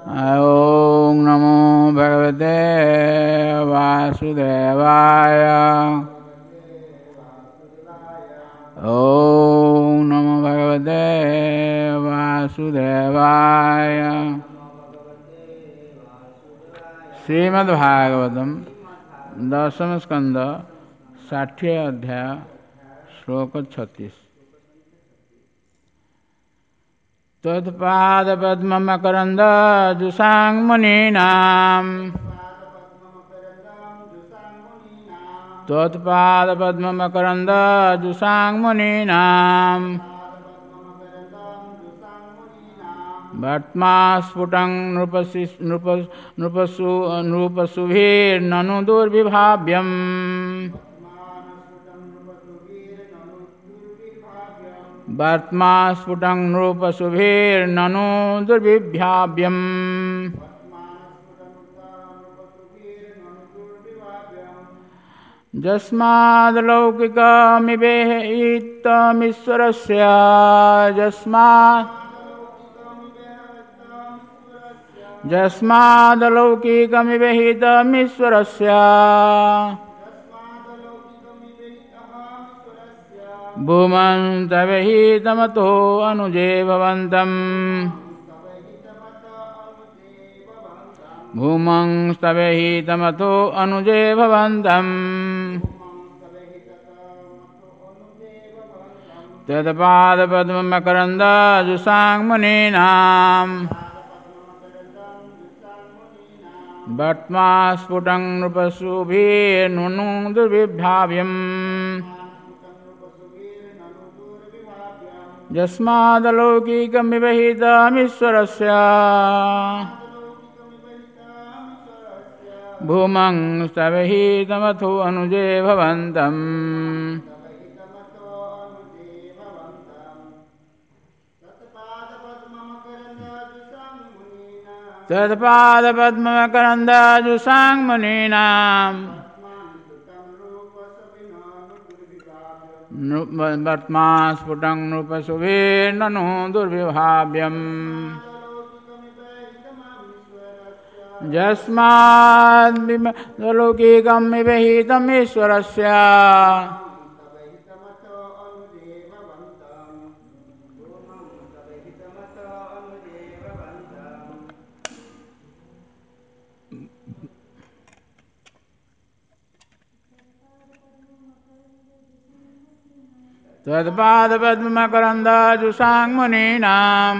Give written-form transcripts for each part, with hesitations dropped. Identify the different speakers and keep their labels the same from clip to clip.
Speaker 1: ॐ नमो भगवते वासुदेवाय। ॐ नमो भगवते वासुदेवाय। श्रीमद्भागवतम दशम स्कंद 60 अध्याय श्लोक 36। त्वत्पादपद्ममकरन्द जुषां मुनीनां त्वत्पादपद्ममकरन्द जुषां मुनीनां वर्त्मास्फुटं नृपसुभिर्ननु दुर्विभाव्यम् वर्त्मास्फुटं नृपसुभिर्ननु दुर्विभाव्यम्। यस्माद्लौकिकमिवेहितमीश्वरस्य यस्माद्लौकिकमिवेहितमीश्वरस्य भूमन्तवहितमतो अनुजे भवन्तम् भूमंस्तवहितमतो अनुजे भवन्तम्। तत्पादपद्ममकरन्द जुषां मुनीनां वर्त्मास्फुटं नृपसुभिर्ननु दुर्विभाव्यम्। यस्मादलौकिकमिवहितमीश्वरस्य भूमंस्तवहितमथो अनुजे भवन्तम्। तत्पादपद्ममकरन्द जुषां मुनीनां वर्त्मास्फुटं नृपसुभिर्ननु दुर्विभाव्यम्। यस्माद्लौकिकमिवहितमीश्वरस्य तत्पादपद्ममकरन्द जुषां मुनीनां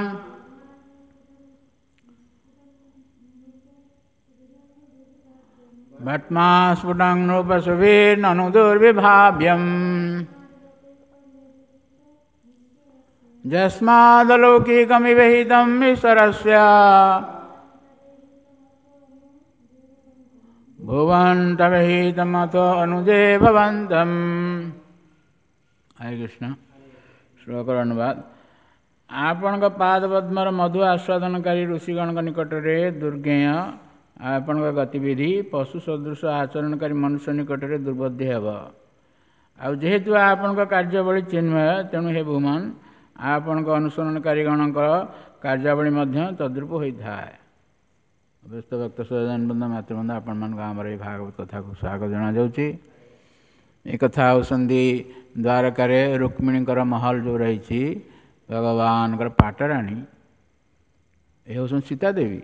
Speaker 1: वर्त्मास्फुटं नृपसुभिर्ननु दुर्विभाव्यम्। यस्मादलौकिकमिवहितमीश्वरस्य भुवन्तवहितमतो अनुजे भवन्तम्। ହରେ କୃଷ୍ଣ। ଶ୍ଲୋକର ଅନୁବାଦ। ଆପଣଙ୍କ ପାଦପଦ୍ମର ମଧୁ ଆସ୍ୱାଦନକାରୀ ଋଷିଗଣଙ୍କ ନିକଟରେ ଦୁର୍ଜ୍ଞେୟ, ଆପଣଙ୍କ ଗତିବିଧି ପଶୁ ସଦୃଶ ଆଚରଣକାରୀ ମନୁଷ୍ୟ ନିକଟରେ ଦୁର୍ବୋଧ୍ୟ ହେବ। ଆଉ ଯେହେତୁ ଆପଣଙ୍କ କାର୍ଯ୍ୟାବଳୀ ଚିନ୍ମୟ, ତେଣୁ ହେ ଭୂମନ, ଆପଣଙ୍କ ଅନୁସରଣକାରୀ ଗଣଙ୍କର କାର୍ଯ୍ୟାବଳୀ ମଧ୍ୟ ତଦ୍ରୂପ ହୋଇଥାଏ। ବ୍ୟସ୍ତ ଭକ୍ତ ସଜନ ବୃନ୍ଦ ମାତୃବୃନ୍ଦ, ଆପଣମାନଙ୍କୁ ଆମର ଏହି ଭାଗବତ କଥାକୁ ସ୍ୱାଗତ ଜଣାଯାଉଛି। ଏ କଥା ହେଉଛନ୍ତି ଦ୍ୱାରକାରେ ରୁକ୍ମିଣୀଙ୍କର ମହଲ ଯେଉଁ ରହିଛି, ଭଗବାନଙ୍କର ପାଟରାଣୀ ଏ ହେଉଛନ୍ତି ସୀତା ଦେବୀ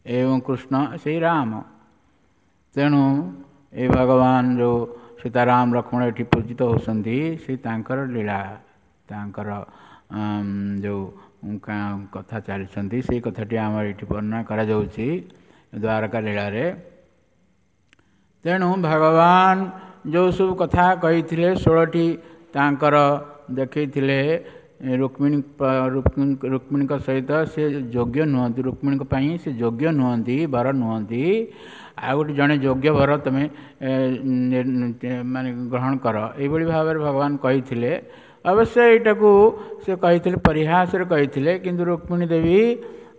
Speaker 1: ଏବଂ କୃଷ୍ଣ ସେଇ ରାମ। ତେଣୁ ଏ ଭଗବାନ ଯେଉଁ ସୀତାରାମ ଲକ୍ଷ୍ମଣ ଏଠି ପୂଜିତ ହେଉଛନ୍ତି, ସେ ତାଙ୍କର ଲୀଳା, ତାଙ୍କର ଯେଉଁ କଥା ଚାଲିଛନ୍ତି, ସେଇ କଥାଟି ଆମର ଏଠି ବର୍ଣ୍ଣନା କରାଯାଉଛି ଦ୍ୱାରକା ଲୀଳାରେ। ତେଣୁ ଭଗବାନ ଯେଉଁ ସବୁ କଥା କହିଥିଲେ, 16ଟି ତାଙ୍କର ଦେଖେଇଥିଲେ ରୁକ୍ମିଣୀଙ୍କ ସହିତ ସେ ଯୋଗ୍ୟ ନୁହନ୍ତି, ରୁକ୍ମିଣୀଙ୍କ ପାଇଁ ସେ ଯୋଗ୍ୟ ନୁହନ୍ତି, ବର ନୁହନ୍ତି। ଆଉ ଗୋଟେ ଜଣେ ଯୋଗ୍ୟ ବର ତୁମେ ମାନେ ଗ୍ରହଣ କର, ଏଇଭଳି ଭାବରେ ଭଗବାନ କହିଥିଲେ। ଅବଶ୍ୟ ଏଇଟାକୁ ସେ କହିଥିଲେ ପରିହାସରେ କହିଥିଲେ, କିନ୍ତୁ ରୁକ୍ମିଣୀ ଦେବୀ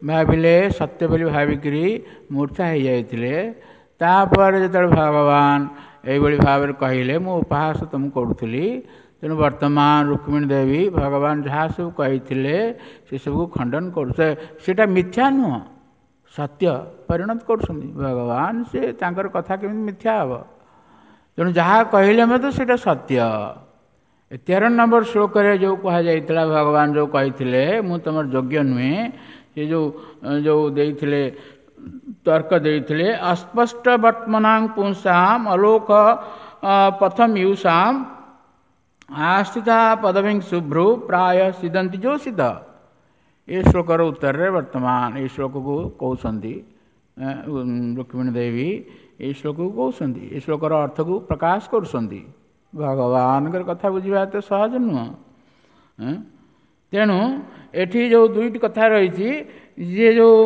Speaker 1: ଭାବିଲେ ସତ୍ୟ ବୋଲି ଭାବିକିରି ମୂର୍ଚ୍ଛା ହେଇଯାଇଥିଲେ। ତାପରେ ଯେତେବେଳେ ଭଗବାନ ଏଇଭଳି ଭାବରେ କହିଲେ, ମୁଁ ଉପହାସ ତୁମକୁ କରୁଥିଲି, ତେଣୁ ବର୍ତ୍ତମାନ ରୁକ୍ମିଣୀ ଦେବୀ ଭଗବାନ ଯାହା ସବୁ କହିଥିଲେ ସେସବୁକୁ ଖଣ୍ଡନ କରୁ, ସେଇଟା ମିଥ୍ୟା ନୁହଁ, ସତ୍ୟ ପରିଣତ କରୁଛନ୍ତି ଭଗବାନ। ସେ ତାଙ୍କର କଥା କେମିତି ମିଥ୍ୟା ହେବ? ତେଣୁ ଯାହା କହିଲେ ମଧ୍ୟ ସେଇଟା ସତ୍ୟ। 13 ନମ୍ବର ଶ୍ଲୋକରେ ଯେଉଁ କୁହାଯାଇଥିଲା, ଭଗବାନ ଯେଉଁ କହିଥିଲେ ମୁଁ ତୁମର ଯୋଗ୍ୟ ନୁହେଁ, ସେ ଯେଉଁ ଦେଇଥିଲେ ତର୍କ ଦେଇଥିଲେ, ଅସ୍ପଷ୍ଟ ବର୍ତ୍ତମାନାଂ ପୁଂସାମ ଅଲୋକ ପଥମ ୟୁଷାମ ଆସ୍ଥିତା ପଦବୀଂ ଶୁଭ୍ରୁ ପ୍ରାୟ ସିଦନ୍ତି ଯୋଷିତ। ଏ ଶ୍ଲୋକର ଉତ୍ତରରେ ବର୍ତ୍ତମାନ ଏଇ ଶ୍ଲୋକକୁ କହୁଛନ୍ତି ରୁକ୍ମିଣୀ ଦେବୀ, ଏଇ ଶ୍ଲୋକକୁ କହୁଛନ୍ତି, ଏ ଶ୍ଲୋକର ଅର୍ଥକୁ ପ୍ରକାଶ କରୁଛନ୍ତି। ଭଗବାନଙ୍କର କଥା ବୁଝିବା ଏତେ ସହଜ ନୁହଁ। ତେଣୁ ଏଠି ଯେଉଁ ଦୁଇଟି କଥା ରହିଛି, ଯିଏ ଯେଉଁ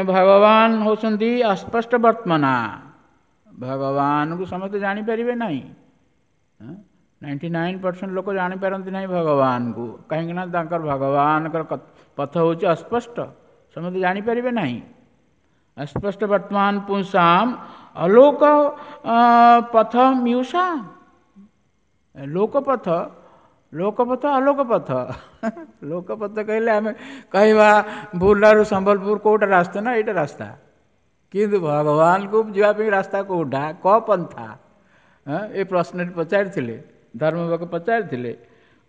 Speaker 1: ଭଗବାନ ହେଉଛନ୍ତି ଅସ୍ପଷ୍ଟ ବର୍ତ୍ତମାନା, ଭଗବାନଙ୍କୁ ସମସ୍ତେ ଜାଣିପାରିବେ ନାହିଁ। 99% ଲୋକ ଜାଣିପାରନ୍ତି ନାହିଁ ଭଗବାନଙ୍କୁ, କାହିଁକିନା ତାଙ୍କର ଭଗବାନଙ୍କର ପଥ ହେଉଛି ଅସ୍ପଷ୍ଟ, ସମସ୍ତେ ଜାଣିପାରିବେ ନାହିଁ। ଅସ୍ପଷ୍ଟ ବର୍ତ୍ତମାନ ପୁଂସାମ ଅଲୋକ ପଥ ମ୍ୟୁଷାମ, ଲୋକପଥ, ଲୋକପଥ ଅଲୋକ ପଥ। ଲୋକପଥ କହିଲେ ଆମେ କହିବା ବୁର୍ଲାରୁ ସମ୍ବଲପୁର କେଉଁଟା ରାସ୍ତା ନା ଏଇଟା ରାସ୍ତା, କିନ୍ତୁ ଭଗବାନଙ୍କୁ ଯିବା ପାଇଁ ରାସ୍ତା କେଉଁଟା, କ ପନ୍ଥା? ଏ ପ୍ରଶ୍ନଟି ପଚାରିଥିଲେ, ଧର୍ମବକ ପଚାରିଥିଲେ,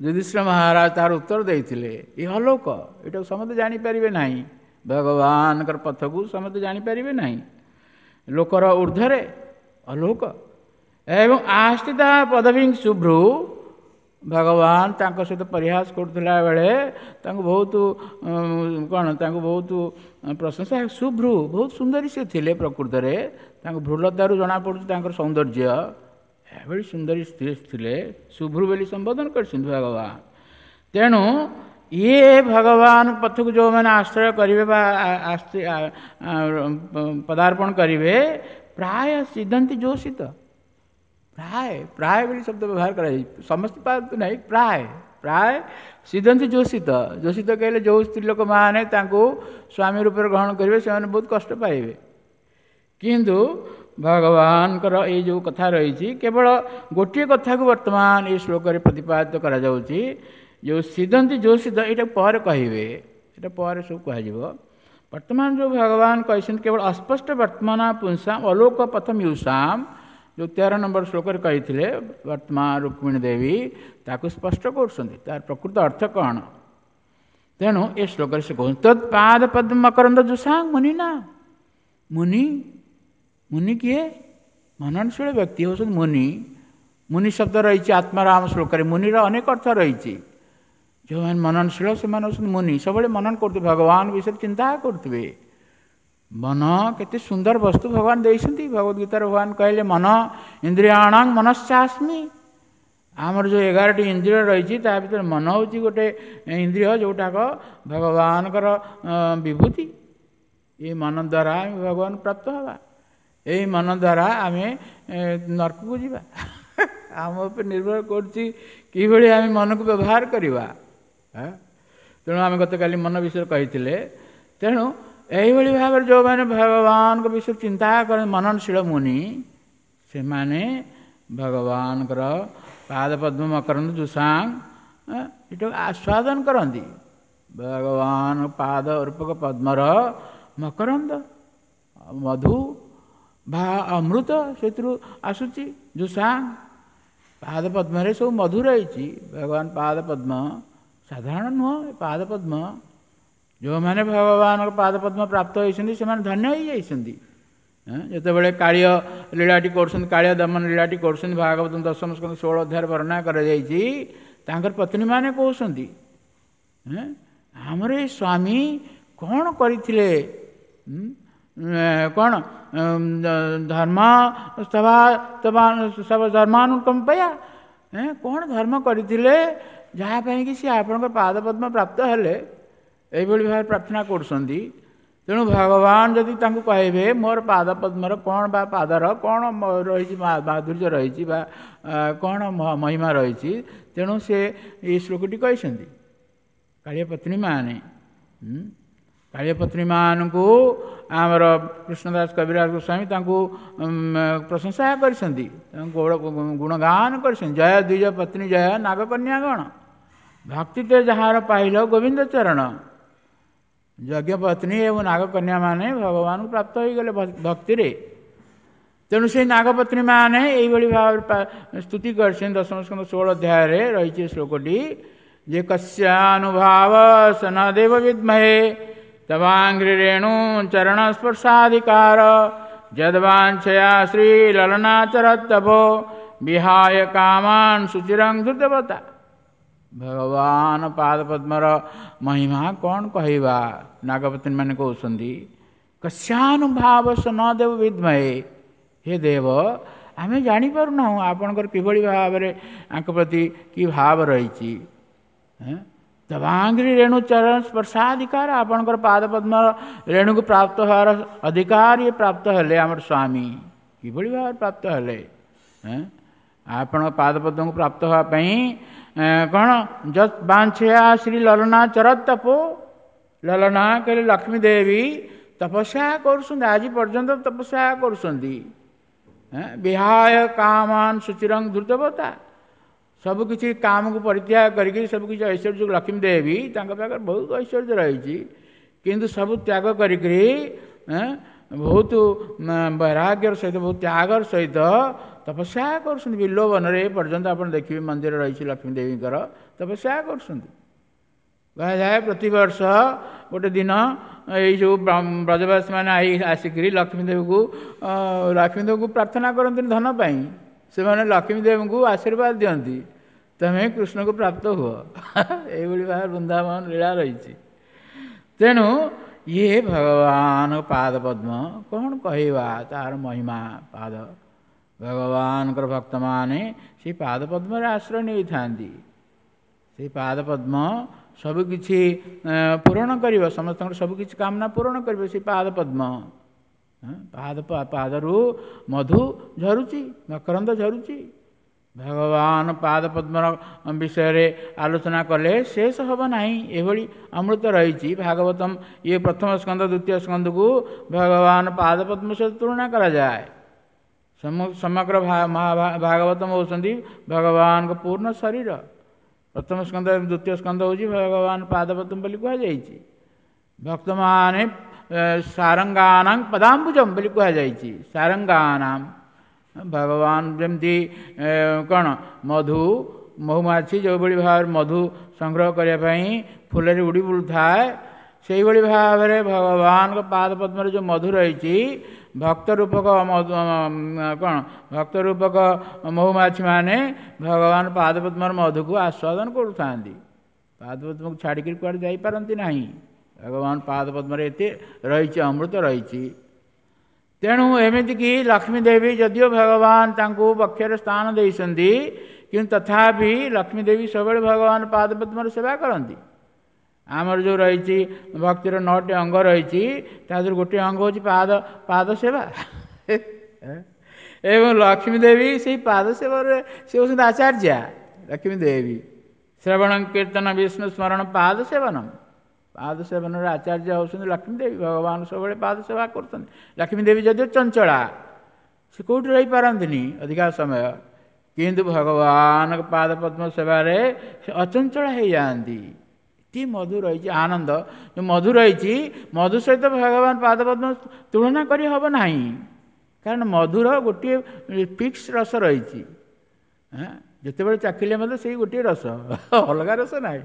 Speaker 1: ଯୁଧିଷ୍ଠିର ମହାରାଜ ତାର ଉତ୍ତର ଦେଇଥିଲେ, ଏ ଅଲୋକ, ଏଇଟାକୁ ସମସ୍ତେ ଜାଣିପାରିବେ ନାହିଁ। ଭଗବାନଙ୍କର ପଥକୁ ସମସ୍ତେ ଜାଣିପାରିବେ ନାହିଁ, ଲୋକର ଉର୍ଦ୍ଧ୍ୱରେ ଅଲୋକ। ଏବଂ ଆସ୍ଥିତା ପଦବୀ ଶୁଭ୍ରୁ, ଭଗବାନ ତାଙ୍କ ସହିତ ପରିହାସ କରୁଥିଲା ବେଳେ ତାଙ୍କୁ ବହୁତ କ'ଣ ତାଙ୍କୁ ବହୁତ ପ୍ରଶଂସା। ଶୁଭ୍ରୁ ବହୁତ ସୁନ୍ଦରୀ ସେ ଥିଲେ ପ୍ରକୃତରେ, ତାଙ୍କ ଭ୍ରୁଲତାରୁ ଜଣାପଡ଼ୁଛି ତାଙ୍କର ସୌନ୍ଦର୍ଯ୍ୟ। ଏଭଳି ସୁନ୍ଦରୀ ସ୍ତ୍ରୀ ଥିଲେ, ଶୁଭ୍ରୁ ବୋଲି ସମ୍ବୋଧନ କରିଛନ୍ତି ଭଗବାନ। ତେଣୁ ଇଏ ଭଗବାନ ପଥକୁ ଯେଉଁମାନେ ଆଶ୍ରୟ କରିବେ ବା ପଦାର୍ପଣ କରିବେ, ପ୍ରାୟ ସିଦ୍ଧନ୍ତି ଯୋଷିତ। ପ୍ରାୟ, ପ୍ରାୟ ବୋଲି ଶବ୍ଦ ବ୍ୟବହାର କରାଯାଇଛି, ସମସ୍ତେ ପାଆନ୍ତୁ ନାହିଁ, ପ୍ରାୟ, ପ୍ରାୟ ସିଦ୍ଧନ୍ତି ଯୋଷିତ। ଯୋଷିତ କହିଲେ ଯେଉଁ ସ୍ତ୍ରୀ ଲୋକମାନେ ତାଙ୍କୁ ସ୍ୱାମୀ ରୂପରେ ଗ୍ରହଣ କରିବେ ସେମାନେ ବହୁତ କଷ୍ଟ ପାଇବେ। କିନ୍ତୁ ଭଗବାନଙ୍କର ଏଇ ଯେଉଁ କଥା ରହିଛି, କେବଳ ଗୋଟିଏ କଥାକୁ ବର୍ତ୍ତମାନ ଏଇ ଶ୍ଲୋକରେ ପ୍ରତିପାଦିତ କରାଯାଉଛି, ଯେଉଁ ସିଦ୍ଧନ୍ତି ଯୋଷିତ, ଏଇଟା ପରେ କହିବେ, ଏଇଟା ପରେ ସବୁ କୁହାଯିବ। ବର୍ତ୍ତମାନ ଯେଉଁ ଭଗବାନ କହିଛନ୍ତି କେବଳ ଅସ୍ପଷ୍ଟ ବର୍ତ୍ତମାନ ପୁଂସାମ ଅଲୋକ ପଥ ମ୍ୟୁଷାମ, ଯେଉଁ 13 ନମ୍ବର ଶ୍ଲୋକରେ କହିଥିଲେ, ବର୍ତ୍ତମାନ ରୁକ୍ମିଣୀ ଦେବୀ ତାକୁ ସ୍ପଷ୍ଟ କରୁଛନ୍ତି ତାର ପ୍ରକୃତ ଅର୍ଥ କ'ଣ। ତେଣୁ ଏ ଶ୍ଲୋକରେ ସେ କହୁଛନ୍ତି ତତ୍ପାଦ ପଦ୍ମ ମକରନ୍ଦ ଯୁଷାଂ ମୁନି ନା, ମୁନି, ମୁନି କିଏ? ମନନଶୀଳ ବ୍ୟକ୍ତି ହେଉଛନ୍ତି ମୁନି। ମୁନି ଶବ୍ଦ ରହିଛି ଆତ୍ମାରାମ ଶ୍ଲୋକରେ, ମୁନିର ଅନେକ ଅର୍ଥ ରହିଛି। ଯେଉଁମାନେ ମନନଶୀଳ ସେମାନେ ହେଉଛନ୍ତି ମୁନି, ସବୁବେଳେ ମନନ କରୁଥିବେ, ଭଗବାନ ବିଷୟରେ ଚିନ୍ତା କରୁଥିବେ। ମନ କେତେ ସୁନ୍ଦର ବସ୍ତୁ ଭଗବାନ ଦେଇଛନ୍ତି। ଭଗବତ ଗୀତାରେ ଭଗବାନ କହିଲେ ମନ ଇନ୍ଦ୍ରିୟାଣାଂ ମନଶ୍ଚାସ୍ମି। ଆମର ଯେଉଁ 11ଟି ଇନ୍ଦ୍ରିୟ ରହିଛି ତା ଭିତରେ ମନ ହେଉଛି ଗୋଟେ ଇନ୍ଦ୍ରିୟ, ଯେଉଁଟାକ ଭଗବାନଙ୍କର ବିଭୂତି। ଏଇ ମନ ଦ୍ୱାରା ଆମେ ଭଗବାନ ପ୍ରାପ୍ତ ହେବା, ଏଇ ମନ ଦ୍ୱାରା ଆମେ ନର୍କକୁ ଯିବା। ଆମ ଉପରେ ନିର୍ଭର କରୁଛି କିଭଳି ଆମେ ମନକୁ ବ୍ୟବହାର କରିବା। ତେଣୁ ଆମେ ଗତକାଲି ମନ ବିଷୟରେ କହିଥିଲେ। ତେଣୁ ଏଇଭଳି ଭାବରେ ଯେଉଁମାନେ ଭଗବାନଙ୍କ ବିଷୟରେ ଚିନ୍ତା କରନ୍ତି, ମନନଶୀଳ ମୁନି, ସେମାନେ ଭଗବାନଙ୍କର ପାଦ ପଦ୍ମ ମକରନ୍ଦ ଯୁଷାଂ ଏଟାକୁ ଆସ୍ୱାଦନ କରନ୍ତି। ଭଗବାନ ପାଦ ରୂପକ ପଦ୍ମର ମକରନ୍ଦ, ମଧୁ ବା ଅମୃତ ସେଥିରୁ ଆସୁଛି। ଯୁଷାଂ ପାଦ ପଦ୍ମରେ ସବୁ ମଧୁ ରହିଛି। ଭଗବାନ ପାଦ ପଦ୍ମ ସାଧାରଣ ନୁହଁ, ପାଦ ପଦ୍ମ ଯେଉଁମାନେ ଭଗବାନଙ୍କ ପାଦ ପଦ୍ମ ପ୍ରାପ୍ତ ହୋଇଛନ୍ତି ସେମାନେ ଧନ୍ୟ ହୋଇଯାଇଛନ୍ତି। ଯେତେବେଳେ କାଳିୟ ଲୀଳାଟି କରୁଛନ୍ତି, କାଳିୟ ଦମନ ଲୀଳାଟି କରୁଛନ୍ତି, ଭାଗବତ ଦଶମ ସ୍କନ୍ଧ 16 ଅଧ୍ୟାୟରେ ବର୍ଣ୍ଣନା କରାଯାଇଛି, ତାଙ୍କର ପତ୍ନୀମାନେ କହୁଛନ୍ତି ଆମର ଏଇ ସ୍ୱାମୀ କ'ଣ କରିଥିଲେ, କ'ଣ ଧର୍ମ ଧର୍ମାନୁକମ୍ପୟା, କ'ଣ ଧର୍ମ କରିଥିଲେ ଯାହା ପାଇଁକି ସିଏ ଆପଣଙ୍କ ପାଦ ପଦ୍ମ ପ୍ରାପ୍ତ ହେଲେ, ଏଇଭଳି ଭାବରେ ପ୍ରାର୍ଥନା କରୁଛନ୍ତି। ତେଣୁ ଭଗବାନ ଯଦି ତାଙ୍କୁ କହିବେ ମୋର ପାଦ ପଦ୍ମର କ'ଣ ବା ପାଦର କ'ଣ ରହିଛି, ମାଧୁର୍ଯ୍ୟ ରହିଛି ବା କ'ଣ ମହିମା ରହିଛି, ତେଣୁ ସେ ଏଇ ଶ୍ଲୋକଟି କହିଛନ୍ତି। କାଳିଆ ପତ୍ନୀମାନେ, କାଳିଆ ପତ୍ନୀମାନଙ୍କୁ ଆମର କୃଷ୍ଣଦାସ କବିରାଜ ଗୋସ୍ୱାମୀ ତାଙ୍କୁ ପ୍ରଶଂସା କରିଛନ୍ତି, ତାଙ୍କୁ ଗୁଣଗାନ କରିଛନ୍ତି। ଜୟ ଦ୍ୱିଜ ପତ୍ନୀ ଜୟ ନାଗକନ୍ୟାଗଣ, ଭକ୍ତି ତେ ଯାହାର ପାଇଲ ଗୋବିନ୍ଦ ଚରଣ। ଯଜ୍ଞପତ୍ନୀ ଏବଂ ନାଗକନ୍ୟାମାନେ ଭଗବାନଙ୍କୁ ପ୍ରାପ୍ତ ହୋଇଗଲେ ଭକ୍ତିରେ। ତେଣୁ ସେଇ ନାଗପତ୍ନୀମାନେ ଏଇଭଳି ଭାବରେ ସ୍ତୁତି କରିଛନ୍ତି। ଦଶମ ସ୍କନ୍ଧ 16 ଅଧ୍ୟାୟରେ ରହିଛି ଶ୍ଲୋକଟି ଯେ କସ୍ୟାନୁଭାବ ସ ନ ଦେବ ବିଦ୍ମହେ ତବାଙ୍ଘ୍ରି ରେଣୁ ଚରଣ ସ୍ପର୍ଶାଧିକାର ଯଦ୍ବାଞ୍ଛୟା ଶ୍ରୀ ଲଲନାଚରତପୋ ବିହାୟ କାମାନ ସୁଚିରଂ ଧୃତବତା। ଭଗବାନ ପାଦ ପଦ୍ମର ମହିମା କ'ଣ କହିବା? ନାଗପତ୍ନୀ ମାନେ କହୁଛନ୍ତି କସ୍ୟାନୁଭାବ ସ ନ ଦେବ ବିଦ୍ମହେ, ହେ ଦେବ, ଆମେ ଜାଣିପାରୁନାହୁଁ ଆପଣଙ୍କର କିଭଳି ଭାବରେ ଆଙ୍କ ପ୍ରତି କି ଭାବ ରହିଛି। ତବାଙ୍ଘ୍ରି ରେଣୁ ଚରଣ ସ୍ପର୍ଶାଧିକାର, ଆପଣଙ୍କର ପାଦ ପଦ୍ମର ରେଣୁକୁ ପ୍ରାପ୍ତ ହେବାର ଅଧିକାର ଇଏ ପ୍ରାପ୍ତ ହେଲେ ଆମର ସ୍ୱାମୀ କିଭଳି ଭାବରେ ପ୍ରାପ୍ତ ହେଲେ? ଆପଣଙ୍କ ପାଦ ପଦ୍ମକୁ ପ୍ରାପ୍ତ ହେବା ପାଇଁ କ'ଣ ଯତ୍ ବାଞ୍ଛୟା ଶ୍ରୀ ଲଲନା ଚରତ ତପୋ, ଲଲନା କହିଲେ ଲକ୍ଷ୍ମୀ ଦେବୀ ତପସ୍ୟା କରୁଛନ୍ତି, ଆଜି ପର୍ଯ୍ୟନ୍ତ ତପସ୍ୟା କରୁଛନ୍ତି। ବିହାୟ କାମାନ ସୁଚିରଂ ଧୃତବତା, ସବୁକିଛି କାମକୁ ପରିତ୍ୟାଗ କରିକି ସବୁକିଛି ଐଶ୍ୱର୍ଯ୍ୟ, ଲକ୍ଷ୍ମୀ ଦେବୀ ତାଙ୍କ ପାଖରେ ବହୁତ ଐଶ୍ୱର୍ଯ୍ୟ ରହିଛି, କିନ୍ତୁ ସବୁ ତ୍ୟାଗ କରିକିରି ବହୁତ ବୈରାଗ୍ୟର ସହିତ, ବହୁତ ତ୍ୟାଗର ସହିତ ତପସ୍ୟା କରୁଛନ୍ତି। ବିଲ୍ୱବନରେ ଏ ପର୍ଯ୍ୟନ୍ତ ଆପଣ ଦେଖିବେ ମନ୍ଦିର ରହିଛି ଲକ୍ଷ୍ମୀ ଦେବୀଙ୍କର, ତପସ୍ୟା କରୁଛନ୍ତି। କୁହାଯାଏ ପ୍ରତିବର୍ଷ ଗୋଟେ ଦିନ ଏଇ ଯେଉଁ ବ୍ରଜବାସୀମାନେ ଆସିକରି ଲକ୍ଷ୍ମୀ ଦେବୀକୁ ପ୍ରାର୍ଥନା କରନ୍ତିନି ଧନ ପାଇଁ, ସେମାନେ ଲକ୍ଷ୍ମୀ ଦେବୀଙ୍କୁ ଆଶୀର୍ବାଦ ଦିଅନ୍ତି, ତମେ କୃଷ୍ଣକୁ ପ୍ରାପ୍ତ ହୁଅ। ଏଇଭଳି ଭାବରେ ବୃନ୍ଦାବନ ଲୀଳା ରହିଛି। ତେଣୁ ଇଏ ଭଗବାନ ପାଦ ପଦ୍ମ କ'ଣ କହିବା ତାର ମହିମା। ପାଦ ଭଗବାନଙ୍କର ଭକ୍ତମାନେ ସେଇ ପାଦ ପଦ୍ମରେ ଆଶ୍ରୟ ନେଇଥାନ୍ତି। ସେଇ ପାଦ ପଦ୍ମ ସବୁକିଛି ପୂରଣ କରିବ, ସମସ୍ତଙ୍କର ସବୁକିଛି କାମନା ପୂରଣ କରିବ ସେଇ ପାଦ ପଦ୍ମ। ପାଦରୁ ମଧୁ ଝରୁଛି, ମକରନ୍ଦ ଝରୁଛି। ଭଗବାନ ପାଦ ପଦ୍ମର ବିଷୟରେ ଆଲୋଚନା କଲେ ଶେଷ ହେବ ନାହିଁ, ଏଭଳି ଅମୃତ ରହିଛି। ଭାଗବତମ ଇଏ ପ୍ରଥମ ସ୍କନ୍ଦ ଦ୍ୱିତୀୟ ସ୍କନ୍ଧକୁ ଭଗବାନ ପାଦ ପଦ୍ମ ସହିତ ତୁଳନା କରାଯାଏ। ସମଗ୍ର ଭାଗବତମ ହେଉଛନ୍ତି ଭଗବାନଙ୍କ ପୂର୍ଣ୍ଣ ଶରୀର। ପ୍ରଥମ ସ୍କନ୍ଦ ଦ୍ୱିତୀୟ ସ୍କନ୍ଦ ହେଉଛି ଭଗବାନ ପାଦପଦ୍ମ ବୋଲି କୁହାଯାଇଛି। ଭକ୍ତମାନେ ସାରଙ୍ଗାନାଂ ପଦାମ୍ବୁଜମ ବୋଲି କୁହାଯାଇଛି। ସାରଙ୍ଗାନାଂ ଭଗବାନ ଯେମିତି କ'ଣ ମଧୁ, ମହୁମାଛି ଯେଉଁଭଳି ଭାବରେ ମଧୁ ସଂଗ୍ରହ କରିବା ପାଇଁ ଫୁଲରେ ଉଡ଼ି ବୁଲୁଥାଏ, ସେଇଭଳି ଭାବରେ ଭଗବାନଙ୍କ ପାଦ ପଦ୍ମରେ ଯେଉଁ ମଧୁ ରହିଛି, ଭକ୍ତ ରୂପକ କ'ଣ ଭକ୍ତ ରୂପକ ମହୁମାଛିମାନେ ଭଗବାନ ପାଦପଦ୍ମର ମଧୁକୁ ଆସ୍ୱାଦନ କରୁଥାନ୍ତି। ପାଦପଦ୍ମକୁ ଛାଡ଼ିକିରି କୁଆଡ଼େ ଯାଇପାରନ୍ତି ନାହିଁ। ଭଗବାନ ପାଦପଦ୍ମରେ ଏତେ ରହିଛି, ଅମୃତ ରହିଛି। ତେଣୁ ଏମିତିକି ଲକ୍ଷ୍ମୀ ଦେବୀ ଯଦିଓ ଭଗବାନ ତାଙ୍କୁ ବକ୍ଷରେ ସ୍ଥାନ ଦେଇଛନ୍ତି, କିନ୍ତୁ ତଥାପି ଲକ୍ଷ୍ମୀ ଦେବୀ ସବୁବେଳେ ଭଗବାନ ପାଦପଦ୍ମର ସେବା କରନ୍ତି। ଆମର ଯେଉଁ ରହିଛି ଭକ୍ତିର 9ଟି ଅଙ୍ଗ ରହିଛି, ତା ଦେହରୁ ଗୋଟିଏ ଅଙ୍ଗ ହେଉଛି ପାଦ ସେବା। ଏବଂ ଲକ୍ଷ୍ମୀ ଦେବୀ ସେଇ ପାଦ ସେବାରେ ସେ ହେଉଛନ୍ତି ଆଚାର୍ଯ୍ୟା। ଲକ୍ଷ୍ମୀ ଦେବୀ ଶ୍ରବଣ କୀର୍ତ୍ତନ ବିଷ୍ଣୁ ସ୍ମରଣ ପାଦ ସେବନ, ପାଦ ସେବନର ଆଚାର୍ଯ୍ୟ ହେଉଛନ୍ତି ଲକ୍ଷ୍ମୀ ଦେବୀ। ଭଗବାନ ସବୁବେଳେ ପାଦ ସେବା କରୁଛନ୍ତି। ଲକ୍ଷ୍ମୀ ଦେବୀ ଯଦିଓ ଚଞ୍ଚଳା, ସେ କେଉଁଠି ରହିପାରନ୍ତିନି ଅଧିକା ସମୟ, କିନ୍ତୁ ଭଗବାନଙ୍କ ପାଦ ପଦ୍ମ ସେବାରେ ସେ ଅଚଞ୍ଚଳ ହେଇଯାଆନ୍ତି। ଏତେ ମଧୁ ରହିଛି, ଆନନ୍ଦ ଯେଉଁ ମଧୁ ରହିଛି, ମଧୁ ସହିତ ଭଗବାନ ପାଦ ପଦ୍ମ ତୁଳନା କରି ହେବ ନାହିଁ। କାରଣ ମଧୁର ଗୋଟିଏ ଫିକ୍ସ ରସ ରହିଛି, ଯେତେବେଳେ ଚାଖିଲେ ମଧ୍ୟ ସେଇ ଗୋଟିଏ ରସ, ଅଲଗା ରସ ନାହିଁ।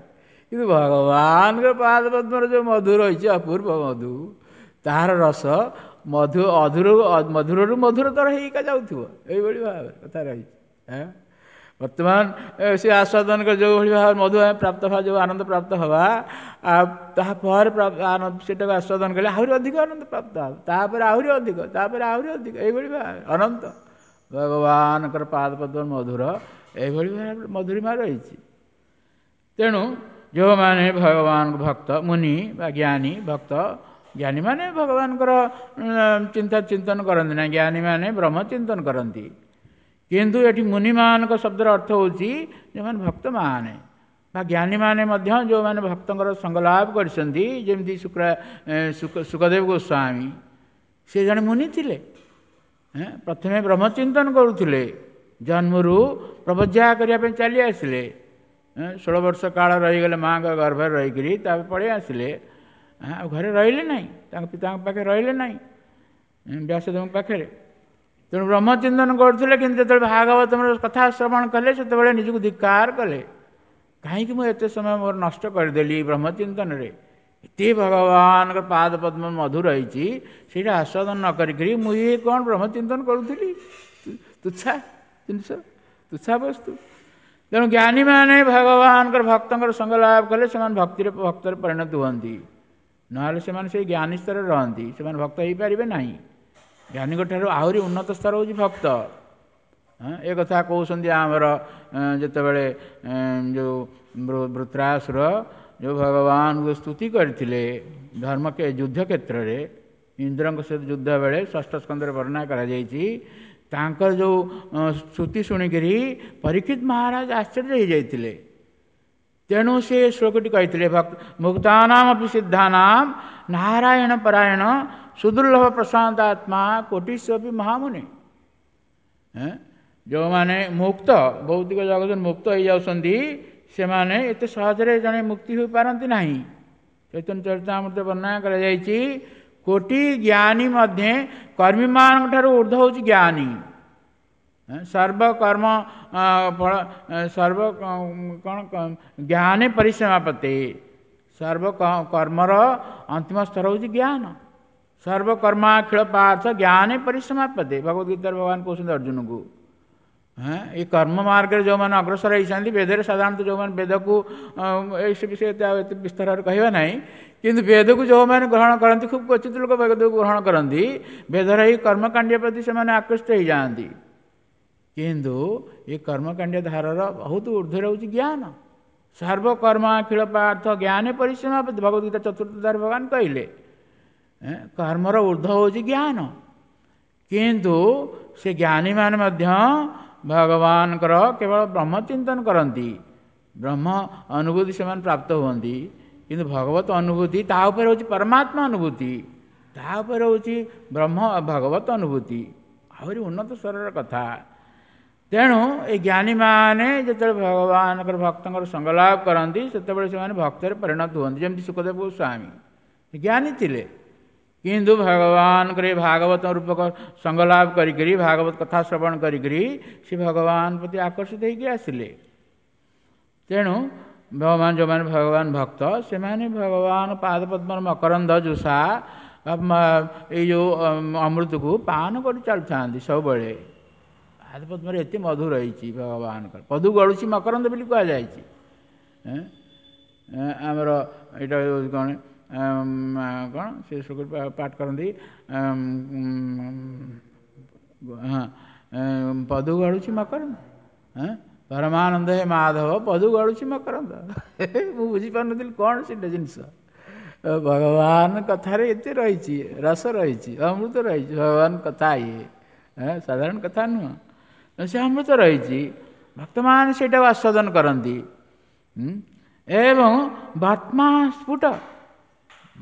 Speaker 1: କିନ୍ତୁ ଭଗବାନଙ୍କ ପାଦ ପଦ୍ମର ଯେଉଁ ମଧୁ ରହିଛି, ଅପୂର୍ବ ମଧୁ, ତାହାର ରସ ମଧୁ ଅଧୁର ମଧୁରରୁ ମଧୁରତର ହେଇକା ଯାଉଥିବ, ଏଇଭଳି ଭାବରେ କଥା ରହିଛି। ବର୍ତ୍ତମାନ ସେ ଆସ୍ୱାଦନ ଯେଉଁଭଳି ଭାବରେ ମଧୁ ଆମେ ପ୍ରାପ୍ତ ହେବା, ଯେଉଁ ଆନନ୍ଦ ପ୍ରାପ୍ତ ହେବା, ଆଉ ତାପରେ ସେଟାକୁ ଆସ୍ୱାଦନ କଲେ ଆହୁରି ଅଧିକ ଆନନ୍ଦ ପ୍ରାପ୍ତ ହେବ, ତାପରେ ଆହୁରି ଅଧିକ, ତାପରେ ଆହୁରି ଅଧିକ, ଏଇଭଳି ଭାବରେ ଅନନ୍ତ ଭଗବାନଙ୍କର ପାଦ ପଦ୍ମ ମଧୁର ଏଇଭଳି ଭାବରେ ମଧୁରିମା ରହିଛି। ତେଣୁ ଯେଉଁମାନେ ଭଗବାନଙ୍କ ଭକ୍ତ, ମୁନି ବା ଜ୍ଞାନୀ ଭକ୍ତ, ଜ୍ଞାନୀମାନେ ଭଗବାନଙ୍କର ଚିନ୍ତା ଚିନ୍ତନ କରନ୍ତି ନା, ଜ୍ଞାନୀମାନେ ବ୍ରହ୍ମ ଚିନ୍ତନ କରନ୍ତି। କିନ୍ତୁ ଏଠି ମୁନିମାନଙ୍କ ଶବ୍ଦର ଅର୍ଥ ହେଉଛି ଯେଉଁମାନେ ଭକ୍ତମାନେ ବା ଜ୍ଞାନୀମାନେ ମଧ୍ୟ ଯେଉଁମାନେ ଭକ୍ତଙ୍କର ସଙ୍ଗ ଲାଭ କରିଛନ୍ତି, ଯେମିତି ଶୁକଦେବ ଗୋସ୍ୱାମୀ, ସେ ଜଣେ ମୁନି ଥିଲେ। ପ୍ରଥମେ ବ୍ରହ୍ମଚିନ୍ତନ କରୁଥିଲେ, ଜନ୍ମରୁ ପ୍ରବଜ୍ୟା କରିବା ପାଇଁ ଚାଲି ଆସିଲେ, 16 ବର୍ଷ କାଳ ରହିଗଲେ ମାଆଙ୍କ ଗର୍ଭରେ ରହିକରି, ତାପରେ ପଳେଇ ଆସିଲେ। ଆଉ ଘରେ ରହିଲେ ନାହିଁ, ତାଙ୍କ ପିତାଙ୍କ ପାଖରେ ରହିଲେ ନାହିଁ, ବ୍ୟାସଦେବଙ୍କ ପାଖରେ। ତେଣୁ ବ୍ରହ୍ମଚିନ୍ତନ କରୁଥିଲେ, କିନ୍ତୁ ଯେତେବେଳେ ଭାଗବତର କଥା ଶ୍ରବଣ କଲେ ସେତେବେଳେ ନିଜକୁ ଧିକ୍କାର କଲେ, କାହିଁକି ମୁଁ ଏତେ ସମୟ ମୋର ନଷ୍ଟ କରିଦେଲି ବ୍ରହ୍ମଚିନ୍ତନରେ, ଏତେ ଭଗବାନଙ୍କ ପାଦ ପଦ୍ମ ମଧୁ ରହିଛି, ସେଇଟା ଆସ୍ୱାଦନ ନ କରିକିରି ମୁଁ ଇଏ କ'ଣ ବ୍ରହ୍ମଚିନ୍ତନ କରୁଥିଲି, ତୁଚ୍ଛା ଜିନିଷ, ତୁଚ୍ଛା ବସ୍ତୁ। ତେଣୁ ଜ୍ଞାନୀମାନେ ଭଗବାନଙ୍କର ଭକ୍ତଙ୍କର ସଙ୍ଗ ଲାଭ କଲେ ସେମାନେ ଭକ୍ତିରେ ଭକ୍ତରେ ପରିଣତ ହୁଅନ୍ତି, ନହେଲେ ସେମାନେ ସେଇ ଜ୍ଞାନୀ ସ୍ତରରେ ରହନ୍ତି, ସେମାନେ ଭକ୍ତ ହେଇପାରିବେ ନାହିଁ। ଜ୍ଞାନୀଙ୍କ ଠାରୁ ଆହୁରି ଉନ୍ନତ ସ୍ତର ହେଉଛି ଭକ୍ତ। ଏ କଥା କହୁଛନ୍ତି ଆମର ଯେତେବେଳେ ଯେଉଁ ବୃତ୍ରାସୁର ଯେଉଁ ଭଗବାନଙ୍କୁ ସ୍ତୁତି କରିଥିଲେ ଧର୍ମ ଯୁଦ୍ଧ କ୍ଷେତ୍ରରେ, ଇନ୍ଦ୍ରଙ୍କ ସହିତ ଯୁଦ୍ଧ ବେଳେ ଷଷ୍ଠ ସ୍କନ୍ଧରେ ବର୍ଣ୍ଣନା କରାଯାଇଛି, ତାଙ୍କର ଯେଉଁ ସ୍ତୁତି ଶୁଣିକରି ପରୀକ୍ଷିତ ମହାରାଜ ଆଶ୍ଚର୍ଯ୍ୟ ହେଇଯାଇଥିଲେ। ତେଣୁ ସେ ଶ୍ଲୋକଟି କହିଥିଲେ, ମୁକ୍ତାନାମ ଅପି ସିଦ୍ଧାନାମ ନାରାୟଣ ପରାୟଣ ସୁଦୁର୍ଲଭ ପ୍ରଶାନ୍ତ ଆତ୍ମା କୋଟିସ୍ୱପି ମହାମୁନି। ଯେଉଁମାନେ ମୁକ୍ତ, ଭୌତିକ ଜଗତରୁ ମୁକ୍ତ ହେଇଯାଉଛନ୍ତି, ସେମାନେ ଏତେ ସହଜରେ ଜଣେ ମୁକ୍ତି ହୋଇପାରନ୍ତି ନାହିଁ। ଚୈତନ୍ୟ ଚରିତାମୃତ ବର୍ଣ୍ଣନା କରାଯାଇଛି, କୋଟି ଜ୍ଞାନୀ ମଧ୍ୟ କର୍ମୀମାନଙ୍କ ଠାରୁ ଉର୍ଦ୍ଧ୍ୱ ହେଉଛି ଜ୍ଞାନୀ। ସର୍ବକର୍ମ ଫଳ ସର୍ବ କ'ଣ ଜ୍ଞାନେ ପରିସମାପତେ, ସର୍ବ କର୍ମର ଅନ୍ତିମ ସ୍ତର ହେଉଛି ଜ୍ଞାନ। ସର୍ବକର୍ମାଖିଳ ପାର୍ଥ ଜ୍ଞାନେ ପରିସମାପତେ, ଭଗବତ ଗୀତାରେ ଭଗବାନ କହୁଛନ୍ତି ଅର୍ଜୁନକୁ। ଏଇ କର୍ମ ମାର୍ଗରେ ଯେଉଁମାନେ ଅଗ୍ରସର ହେଇଛନ୍ତି, ବେଦରେ ସାଧାରଣତଃ ଯେଉଁମାନେ ବେଦକୁ ଏଇ ସେ ବିଷୟରେ ଆଉ ଏତେ ବିସ୍ତାରରେ କହିବା ନାହିଁ, କିନ୍ତୁ ବେଦକୁ ଯେଉଁମାନେ ଗ୍ରହଣ କରନ୍ତି, ଖୁବ୍ କ୍ୱଚିତ ଲୋକ ବେଦକୁ ଗ୍ରହଣ କରନ୍ତି, ବେଦର ଏଇ କର୍ମକାଣ୍ଡ ପ୍ରତି ସେମାନେ ଆକୃଷ୍ଟ ହେଇଯାଆନ୍ତି। କିନ୍ତୁ ଏ କର୍ମକାଣ୍ଡ ଧାରର ବହୁତ ଉର୍ଦ୍ଧ୍ୱରେ ହେଉଛି ଜ୍ଞାନ। ସର୍ବକର୍ମାଖିଳ ପାର୍ଥ ଜ୍ଞାନେ ପରିସମାପତି, ଭଗବତ ଗୀତା ଚତୁର୍ଥ ଧାରରେ ଭଗବାନ କହିଲେ କର୍ମର ଉର୍ଦ୍ଧ୍ୱ ହେଉଛି ଜ୍ଞାନ। କିନ୍ତୁ ସେ ଜ୍ଞାନୀମାନେ ମଧ୍ୟ ଭଗବାନଙ୍କର କେବଳ ବ୍ରହ୍ମଚିନ୍ତନ କରନ୍ତି, ବ୍ରହ୍ମ ଅନୁଭୂତି ସେମାନେ ପ୍ରାପ୍ତ ହୁଅନ୍ତି, କିନ୍ତୁ ଭଗବତ ଅନୁଭୂତି ତା ଉପରେ ହେଉଛି ପରମାତ୍ମା ଅନୁଭୂତି, ତା ଉପରେ ହେଉଛି ବ୍ରହ୍ମ ଭଗବତ ଅନୁଭୂତି, ଆହୁରି ଉନ୍ନତ ସ୍ତରର କଥା। ତେଣୁ ଏ ଜ୍ଞାନୀମାନେ ଯେତେବେଳେ ଭଗବାନଙ୍କର ଭକ୍ତଙ୍କର ସଙ୍ଗ ଲାଭ କରନ୍ତି, ସେତେବେଳେ ସେମାନେ ଭକ୍ତରେ ପରିଣତ ହୁଅନ୍ତି। ଯେମିତି ଶୁକଦେବ ଗୋସ୍ୱାମୀ ଜ୍ଞାନୀ ଥିଲେ, କିନ୍ତୁ ଭଗବାନଙ୍କର ଏ ଭାଗବତ ରୂପକ ସଙ୍ଗ ଲାଭ କରିକରି, ଭାଗବତ କଥା ଶ୍ରବଣ କରିକରି ସେ ଭଗବାନ ପ୍ରତି ଆକର୍ଷିତ ହେଇକି ଆସିଲେ। ତେଣୁ ଭଗବାନ ଯେଉଁମାନେ ଭଗବାନ ଭକ୍ତ, ସେମାନେ ଭଗବାନ ପାଦପଦ୍ମର ମକରନ୍ଦ ଜୁସା ଏଇ ଯେଉଁ ଅମୃତକୁ ପାନ କରି ଚାଲୁଥାନ୍ତି ସବୁବେଳେ। ପାଦପଦ୍ମରେ ଏତେ ମଧୁ ରହିଛି ଭଗବାନଙ୍କର, ପଦୁ ଗଳୁଛି ମକରନ୍ଦ ବୋଲି କୁହାଯାଇଛି। ଆମର ଏଇଟା କ'ଣ କ'ଣ ସେ ଶ୍ଲୋକ ପାଠ କରନ୍ତି, ହଁ, ପଦୁ ଗଳୁଛି ମକରନ୍ଦ, ପରମାନନ୍ଦ ହେ ମାଧବ ପଦୁ ଗଳୁଛି ମକରନ୍ଦ। ମୁଁ ବୁଝିପାରୁନଥିଲି କ'ଣ ସେଇଟା ଜିନିଷ। ଭଗବାନ କଥାରେ ଏତେ ରହିଛି, ରସ ରହିଛି, ଅମୃତ ରହିଛି। ଭଗବାନ କଥା ଇଏ ସାଧାରଣ କଥା ନୁହଁ, ସେ ଅମୃତ ରହିଛି। ଭକ୍ତମାନେ ସେଇଟାକୁ ଆସ୍ୱାଦନ କରନ୍ତି। ଏବଂ ବର୍ତ୍ମା ସ୍ଫୁଟ,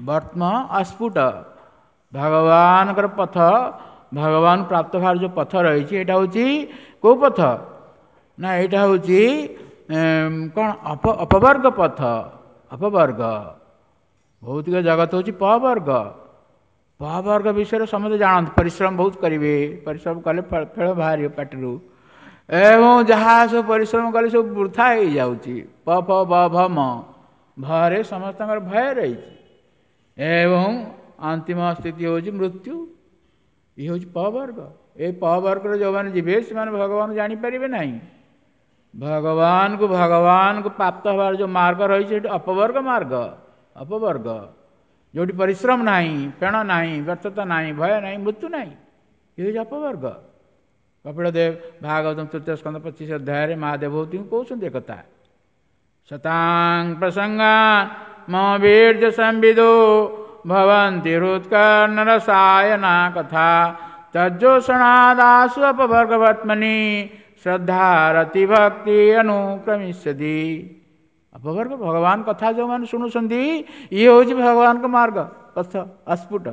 Speaker 1: ବର୍ତ୍ମ ଅସ୍ଫୁଟ, ଭଗବାନଙ୍କର ପଥ, ଭଗବାନ ପ୍ରାପ୍ତ ହେବାର ଯେଉଁ ପଥ ରହିଛି, ଏଇଟା ହେଉଛି କେଉଁ ପଥ ନା ଏଇଟା ହେଉଛି କ'ଣ ଅପବର୍ଗ ପଥ। ଅପବର୍ଗ, ଭୌତିକ ଜଗତ ହେଉଛି ପବର୍ଗ। ପବର୍ଗ ବିଷୟରେ ସମସ୍ତେ ଜାଣନ୍ତି, ପରିଶ୍ରମ ବହୁତ କରିବେ, ପରିଶ୍ରମ କଲେ ଫଳ ବାହାରିବ ପାଟିରୁ, ଏବଂ ଯାହା ସବୁ ପରିଶ୍ରମ କଲେ ସବୁ ବୃଥା ହେଇଯାଉଛି। ପ ଫ ବ ଭ ମ ଭରେ ସମସ୍ତଙ୍କର ଭୟ ରହିଛି, ଏବଂ ଅନ୍ତିମ ସ୍ଥିତି ହେଉଛି ମୃତ୍ୟୁ। ଇଏ ହେଉଛି ପବର୍ଗ। ଏ ପବର୍ଗରେ ଯେଉଁମାନେ ଯିବେ ସେମାନେ ଭଗବାନ ଜାଣିପାରିବେ ନାହିଁ। ଭଗବାନକୁ ଭଗବାନକୁ ପ୍ରାପ୍ତ ହେବାର ଯେଉଁ ମାର୍ଗ ରହିଛି ସେଠି ଅପବର୍ଗ ମାର୍ଗ। ଅପବର୍ଗ ଯେଉଁଠି ପରିଶ୍ରମ ନାହିଁ, ଫେଣ ନାହିଁ, ବ୍ୟର୍ଥତା ନାହିଁ, ଭୟ ନାହିଁ, ମୃତ୍ୟୁ ନାହିଁ, ଇଏ ହେଉଛି ଅପବର୍ଗ। କପିଳ ଦେବ ଭାଗବତ ତୃତୀୟ ସ୍କନ୍ଧ 25 ଅଧ୍ୟାୟରେ ମା ଦେବହୂତିଙ୍କୁ କହୁଛନ୍ତି ଏକଥା। ଶତାଂ ପ୍ରସଙ୍ଗାନ୍ ମମ ବୀର୍ଯ୍ୟ ସମ୍ବିଦୋ ଭବନ୍ତି ହୃତ୍କର୍ଣ୍ଣରସାୟନା କଥା ତଜ୍ଜୋଷଣାଦାସୁ ଅପବର୍ଗବର୍ତ୍ମନି ଶ୍ରଦ୍ଧାରତି ଭକ୍ତି ଅନୁକ୍ରମିଷ୍ୟତି। ଅପବର୍ଗ ଭଗବାନ କଥା ଯେଉଁମାନେ ଶୁଣୁଛନ୍ତି, ଇଏ ହେଉଛି ଭଗବାନଙ୍କ ମାର୍ଗ ପଥ ଅସ୍ଫୁଟ।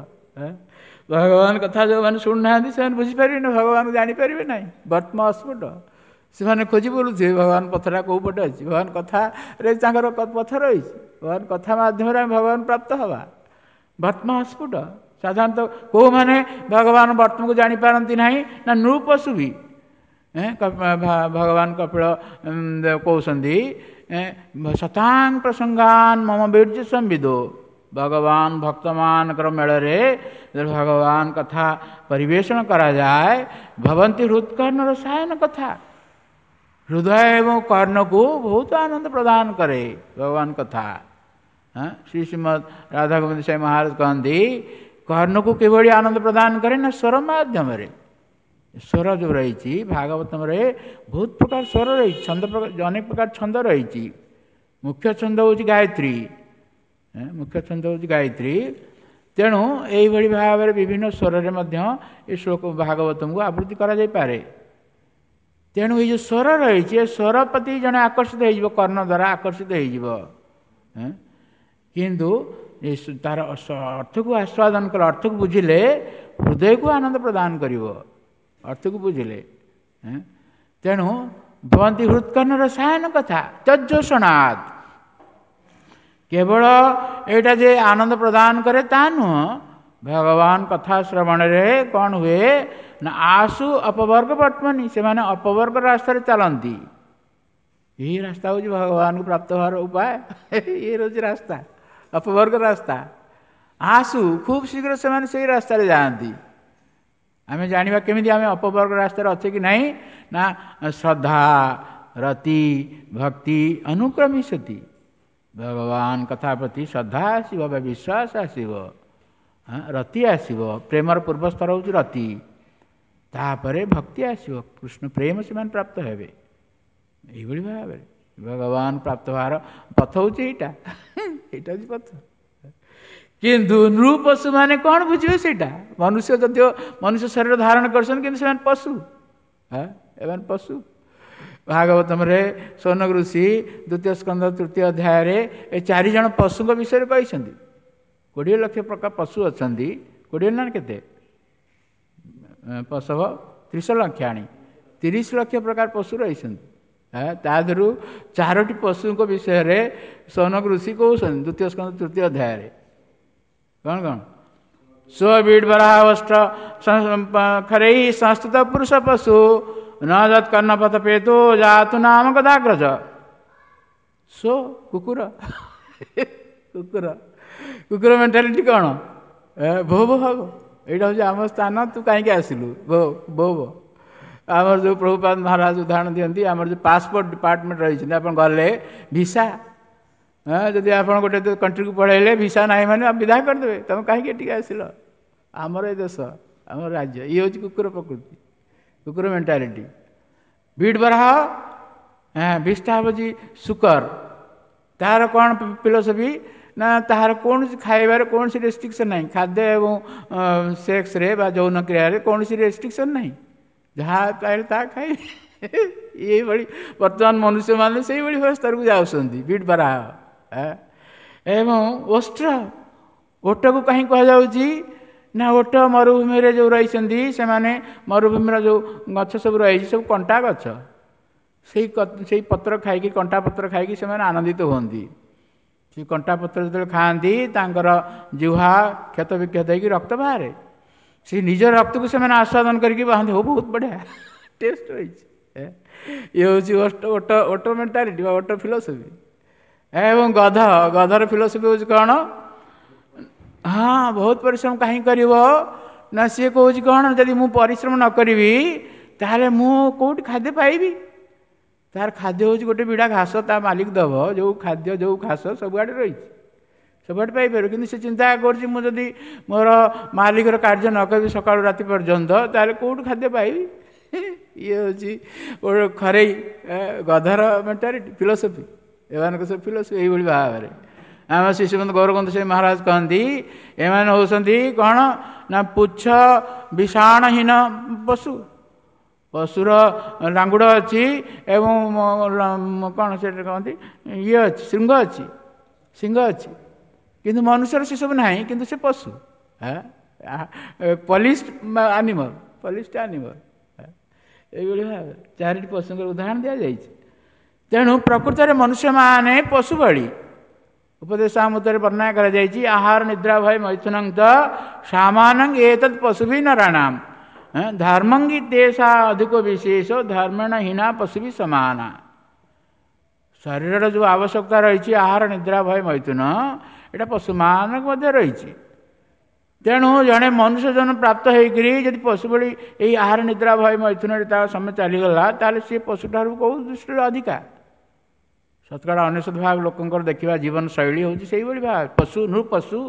Speaker 1: ଭଗବାନ କଥା ଯେଉଁମାନେ ଶୁଣୁନାହାନ୍ତି ସେମାନେ ବୁଝିପାରିବେନି, ଭଗବାନକୁ ଜାଣିପାରିବେ ନାହିଁ, ବର୍ତ୍ମ ଅସ୍ଫୁଟ। ସେମାନେ ଖୋଜି ବୁଲୁଥିବେ ଭଗବାନ ପଥଟା କେଉଁ ପଟେ ଅଛି, ଭଗବାନ କଥାରେ ତାଙ୍କର ପଥ ରହିଛି, ଭଗବାନ କଥା ମାଧ୍ୟମରେ ଆମେ ଭଗବାନ ପ୍ରାପ୍ତ ହେବା। ବର୍ତ୍ମ ଅସ୍ଫୁଟ। ସାଧାରଣତଃ କେଉଁମାନେ ଭଗବାନ ବର୍ତ୍ମକୁ ଜାଣିପାରନ୍ତି ନାହିଁ ନା ନୃପଶୁ ବି। ଭଗବାନ କପିଳ କହୁଛନ୍ତି ଶତାଂ ପ୍ରସଙ୍ଗାନ ମମ ବୀର୍ଯ୍ୟ ସମ୍ବିଦୋ। ଭଗବାନ ଭକ୍ତମାନଙ୍କର ମେଳରେ ଭଗବାନ କଥା ପରିବେଷଣ କରାଯାଏ, ଭବନ୍ତି ହୃତ୍କର୍ଣ୍ଣ ରସାୟନ କଥା, ହୃଦୟ ଏବଂ କର୍ଣ୍ଣକୁ ବହୁତ ଆନନ୍ଦ ପ୍ରଦାନ କରେ ଭଗବାନ କଥା। ଶ୍ରୀ ଶ୍ରୀମଦ୍ ରାଧା ଗୋବିନ୍ଦ ସ୍ୱାମୀ ମହାରାଜ କହନ୍ତି କର୍ଣ୍ଣକୁ କିଭଳି ଆନନ୍ଦ ପ୍ରଦାନ କରେ ନା ସ୍ୱର ମାଧ୍ୟମରେ। ସ୍ୱର ଯେଉଁ ରହିଛି ଭାଗବତମରେ ବହୁତ ପ୍ରକାର ସ୍ୱର ରହିଛି, ଛନ୍ଦ ଅନେକ ପ୍ରକାର ଛନ୍ଦ ରହିଛି। ମୁଖ୍ୟ ଛନ୍ଦ ହେଉଛି ଗାୟତ୍ରୀ, ମୁଖ୍ୟ ଛନ୍ଦ ହେଉଛି ଗାୟତ୍ରୀ। ତେଣୁ ଏଇଭଳି ଭାବରେ ବିଭିନ୍ନ ସ୍ୱରରେ ମଧ୍ୟ ଏ ଶ୍ଲୋକ ଭାଗବତଙ୍କୁ ଆବୃତ୍ତି କରାଯାଇପାରେ। ତେଣୁ ଏଇ ଯେଉଁ ସ୍ୱର ରହିଛି, ଏ ସ୍ୱର ପ୍ରତି ଜଣେ ଆକର୍ଷିତ ହେଇଯିବ, କର୍ଣ୍ଣ ଦ୍ୱାରା ଆକର୍ଷିତ ହେଇଯିବ। କିନ୍ତୁ ତାର ଅର୍ଥକୁ ଆସ୍ୱାଦନ କଲେ, ଅର୍ଥକୁ ବୁଝିଲେ ହୃଦୟକୁ ଆନନ୍ଦ ପ୍ରଦାନ କରିବ, ଅର୍ଥକୁ ବୁଝିଲେ। ତେଣୁ ଭବନ୍ତି ହୃତ୍କର୍ଣ୍ଣ ରସାୟନ କଥା ତଜ୍ଜୋଷଣାତ୍। କେବଳ ଏଇଟା ଯେ ଆନନ୍ଦ ପ୍ରଦାନ କରେ ତା ନୁହଁ, ଭଗବାନ କଥା ଶ୍ରବଣରେ କ'ଣ ହୁଏ ନା ଆସୁ ଅପବର୍ଗ ବର୍ତ୍ତମାନୀ, ସେମାନେ ଅପବର୍ଗ ରାସ୍ତାରେ ଚାଲନ୍ତି। ଏହି ରାସ୍ତା ହେଉଛି ଭଗବାନଙ୍କୁ ପ୍ରାପ୍ତ ହେବାର ଉପାୟ, ଇଏ ହେଉଛି ରାସ୍ତା, ଅପବର୍ଗ ରାସ୍ତା। ଆସୁ ଖୁବ୍ ଶୀଘ୍ର ସେମାନେ ସେଇ ରାସ୍ତାରେ ଯାଆନ୍ତି। ଆମେ ଜାଣିବା କେମିତି ଆମେ ଅପବର୍ଗ ରାସ୍ତାରେ ଅଛେ କି ନାହିଁ ନା ଶ୍ରଦ୍ଧା ରତି ଭକ୍ତି ଅନୁକ୍ରମିଶତି। ଭଗବାନ କଥା ପ୍ରତି ଶ୍ରଦ୍ଧା ଆସିବ ବା ବିଶ୍ୱାସ ଆସିବ, ରତି ଆସିବ। ପ୍ରେମର ପୂର୍ବ ସ୍ତର ହେଉଛି ରତି, ତାପରେ ଭକ୍ତି ଆସିବ, କୃଷ୍ଣ ପ୍ରେମ ସେମାନେ ପ୍ରାପ୍ତ ହେବେ। ଏଇଭଳି ଭାବରେ ଭଗବାନ ପ୍ରାପ୍ତ ହେବାର ପଥ ହେଉଛି ଏଇଟା, ଏଇଟା ହେଉଛି ପଥ। କିନ୍ତୁ ନୃପଶୁମାନେ କ'ଣ ବୁଝିବେ ସେଇଟା? ମନୁଷ୍ୟ ଯଦିଓ ମନୁଷ୍ୟ ଶରୀର ଧାରଣ କରିଛନ୍ତି, କିନ୍ତୁ ସେମାନେ ପଶୁ, ଏମାନେ ପଶୁ। ଭାଗବତମରେ ସୌନକ ଋଷି ଦ୍ୱିତୀୟ ସ୍କନ୍ଧ ତୃତୀୟ ଅଧ୍ୟାୟରେ ଏ ଚାରିଜଣ ପଶୁଙ୍କ ବିଷୟରେ କହିଛନ୍ତି। 20 ଲକ୍ଷ ପ୍ରକାର ପଶୁ ଅଛନ୍ତି, 20 ନା କେତେ ପଶବ 30 ଲକ୍ଷାଣି, 30 ଲକ୍ଷ ପ୍ରକାର ପଶୁ ରହିଛନ୍ତି। ତା ଦେହରୁ 4ଟି ପଶୁଙ୍କ ବିଷୟରେ ସୌନକ ଋଷି କହୁଛନ୍ତି ଦ୍ୱିତୀୟ ସ୍କନ୍ଧ ତୃତୀୟ ଅଧ୍ୟାୟରେ। କ'ଣ କ'ଣ? ସ୍ୱବିଡ଼ବରାହଷ୍ଟ ଖରେଇ ସଂସ୍କୃତ ପୁରୁଷ ପଶୁ ନ ଯତ୍ କର୍ଣ୍ଣପଥ ପେତୁ ଜାତୁ ନାମ କଦାଗ୍ରଜ। ସ୍ୱ କୁକୁର, କୁକୁର, କୁକୁର ମେଣ୍ଟାଲିଟି କ'ଣ? ଭୋ ଭୋ ହବ, ଏଇଟା ହେଉଛି ଆମ ସ୍ଥାନ, ତୁ କାହିଁକି ଆସିଲୁ, ଭୋ ଭୋ ଭୋ। ଆମର ଯେଉଁ ପ୍ରଭୁପାଦ ମହାରାଜ ଉଦାହରଣ ଦିଅନ୍ତି, ଆମର ଯେଉଁ ପାସପୋର୍ଟ ଡିପାର୍ଟମେଣ୍ଟ ରହିଛନ୍ତି, ଆପଣ ଗଲେ ଭିସା, ଯଦି ଆପଣ ଗୋଟେ କଣ୍ଟ୍ରିକୁ ପଳେଇଲେ ଭିସା ନାହିଁ ମାନେ ବିଦା କରିଦେବେ, ତୁମେ କାହିଁକି ଏଠିକି ଆସିଲ, ଆମର ଏ ଦେଶ, ଆମର ରାଜ୍ୟ। ଇଏ ହେଉଛି କୁକୁର ପ୍ରକୃତି, କୁକୁର ମେଣ୍ଟାଲିଟି। ବିଟ୍ ବରାହ, ବିଷ୍ଠା ହେଉଛି ଶୁକର, ତାହାର କ'ଣ ଫିଲୋସଫି ନା ତାହାର କୌଣସି ଖାଇବାରେ କୌଣସି ରେଷ୍ଟ୍ରିକ୍ସନ୍ ନାହିଁ, ଖାଦ୍ୟ ଏବଂ ସେକ୍ସରେ ବା ଯୌନ କ୍ରିୟାରେ କୌଣସି ରେଷ୍ଟ୍ରିକ୍ସନ୍ ନାହିଁ, ଯାହା ପାଇଲେ ତାହା ଖାଇବେ। ଏଇଭଳି ବର୍ତ୍ତମାନ ମନୁଷ୍ୟମାନେ ସେଇଭଳି ସ୍ତରକୁ ଯାଉଛନ୍ତି, ବିଟ୍ ବରାହ। ଏବଂ ଓଷ୍ଟ୍ର, ଓଟକୁ କାହିଁ କୁହାଯାଉଛି ନା ଓଟ ମରୁଭୂମିରେ ଯେଉଁ ରହିଛନ୍ତି ସେମାନେ, ମରୁଭୂମିର ଯେଉଁ ଗଛ ସବୁ ରହିଛି ସବୁ କଣ୍ଟା ଗଛ, ସେଇ ପତ୍ର ଖାଇକି, କଣ୍ଟା ପତ୍ର ଖାଇକି ସେମାନେ ଆନନ୍ଦିତ ହୁଅନ୍ତି। ସେ କଣ୍ଟା ପତ୍ର ଯେତେବେଳେ ଖାଆନ୍ତି ତାଙ୍କର ଜିହ୍ୱା କ୍ଷତ ବିକ୍ଷତ ହେଇକି ରକ୍ତ ବାହାରେ, ସେ ନିଜ ରକ୍ତକୁ ସେମାନେ ଆସ୍ୱାଦନ କରିକି ବାହାନ୍ତି, ହଉ ବହୁତ ବଢ଼ିଆ ଟେଷ୍ଟ ରହିଛି। ଇଏ ହେଉଛି ଓଟ, ଓଟ ମେଣ୍ଟାଲିଟି ବା ଓଟ ଫିଲୋସଫି। ଏବଂ ଗଧ, ଗଧର ଫିଲୋସଫି ହେଉଛି କ'ଣ? ହଁ, ବହୁତ ପରିଶ୍ରମ କାହିଁ କରିବ ନା ସିଏ କହୁଛି କ'ଣ, ଯଦି ମୁଁ ପରିଶ୍ରମ ନ କରିବି ତାହେଲେ ମୁଁ କେଉଁଠି ଖାଦ୍ୟ ପାଇବି? ତାର ଖାଦ୍ୟ ହେଉଛି ଗୋଟେ ବିଡ଼ା ଘାସ ତା ମାଲିକ ଦେବ, ଯେଉଁ ଖାଦ୍ୟ ଯେଉଁ ଘାସ ସବୁଆଡ଼େ ରହିଛି, ସବୁଆଡ଼େ ପାଇପାରିବ। କିନ୍ତୁ ସେ ଚିନ୍ତା କରୁଛି ମୁଁ ଯଦି ମୋର ମାଲିକର କାର୍ଯ୍ୟ ନ କରିବି ସକାଳୁ ରାତି ପର୍ଯ୍ୟନ୍ତ ତାହେଲେ କେଉଁଠୁ ଖାଦ୍ୟ ପାଇବି? ଇଏ ହେଉଛି ଗୋଟେ ଖରେଇ ଗଧର ମେଣ୍ଟାଲିଟି, ଫିଲୋସଫି। ଏମାନଙ୍କ ସବୁ ଫିଲୋସଫି ଏଇଭଳି ଭାବରେ। ଆମ ଶିଶୁବନ୍ଧୁ ଗୌରବନ୍ଧୁ ସ୍ୱାମୀ ମହାରାଜ କହନ୍ତି ଏମାନେ ହେଉଛନ୍ତି କ'ଣ ନା ପୁଚ୍ଛ ବିଷାଣହୀନ ପଶୁ, ପଶୁର ଲାଙ୍ଗୁଡ଼ ଅଛି ଏବଂ କ'ଣ ସେଟା କହନ୍ତି ଇଏ ଅଛି, ଶୃଙ୍ଗ ଅଛି, ଶିଙ୍ଗ ଅଛି, କିନ୍ତୁ ମନୁଷ୍ୟର ସେସବୁ ନାହିଁ, କିନ୍ତୁ ସେ ପଶୁ, ପଲିସ୍ଡ ଆନିମଲ୍, ପଲିସ୍ଡ ଆନିମଲ୍। ଏଇଭଳି ଭାବେ 4ଟି ପଶୁଙ୍କର ଉଦାହରଣ ଦିଆଯାଇଛି। ତେଣୁ ପ୍ରକୃତରେ ମନୁଷ୍ୟମାନେ ପଶୁ ଭଳି, ଉପଦେଶାମୃତରେ ବର୍ଣ୍ଣନା କରାଯାଇଛି, ଆହାର ନିଦ୍ରା ଭୟ ମୈଥୁନଂ ତ ସାମାନଂ ଏତତ୍ ପଶୁଭି ନରାଣାମ ଧର୍ମଙ୍ଗି ତେଷା ଅଧିକ ବିଶେଷ ଧର୍ମେଣ ହୀନା ପଶୁଭି ସମାନା। ଶରୀରର ଯେଉଁ ଆବଶ୍ୟକତା ରହିଛି ଆହାର ନିଦ୍ରା ଭୟ ମୈଥୁନ, ଏଇଟା ପଶୁମାନଙ୍କ ମଧ୍ୟ ରହିଛି। ତେଣୁ ଜଣେ ମନୁଷ୍ୟ ଜନ୍ମ ପ୍ରାପ୍ତ ହେଇକରି ଯଦି ପଶୁ ଭଳି ଏଇ ଆହାର ନିଦ୍ରା ଭୟ ମୈଥୁନରେ ତାର ସମୟ ଚାଲିଗଲା, ତାହେଲେ ସିଏ ପଶୁଠାରୁ କେଉଁ ଦୃଷ୍ଟିରୁ ଅଧିକା? ଶତକଡ଼ା 99 ଭାଗ ଲୋକଙ୍କର ଦେଖିବା ଜୀବନଶୈଳୀ ହେଉଛି ସେଇଭଳି ଭାବେ ପଶୁ, ନୃପଶୁ।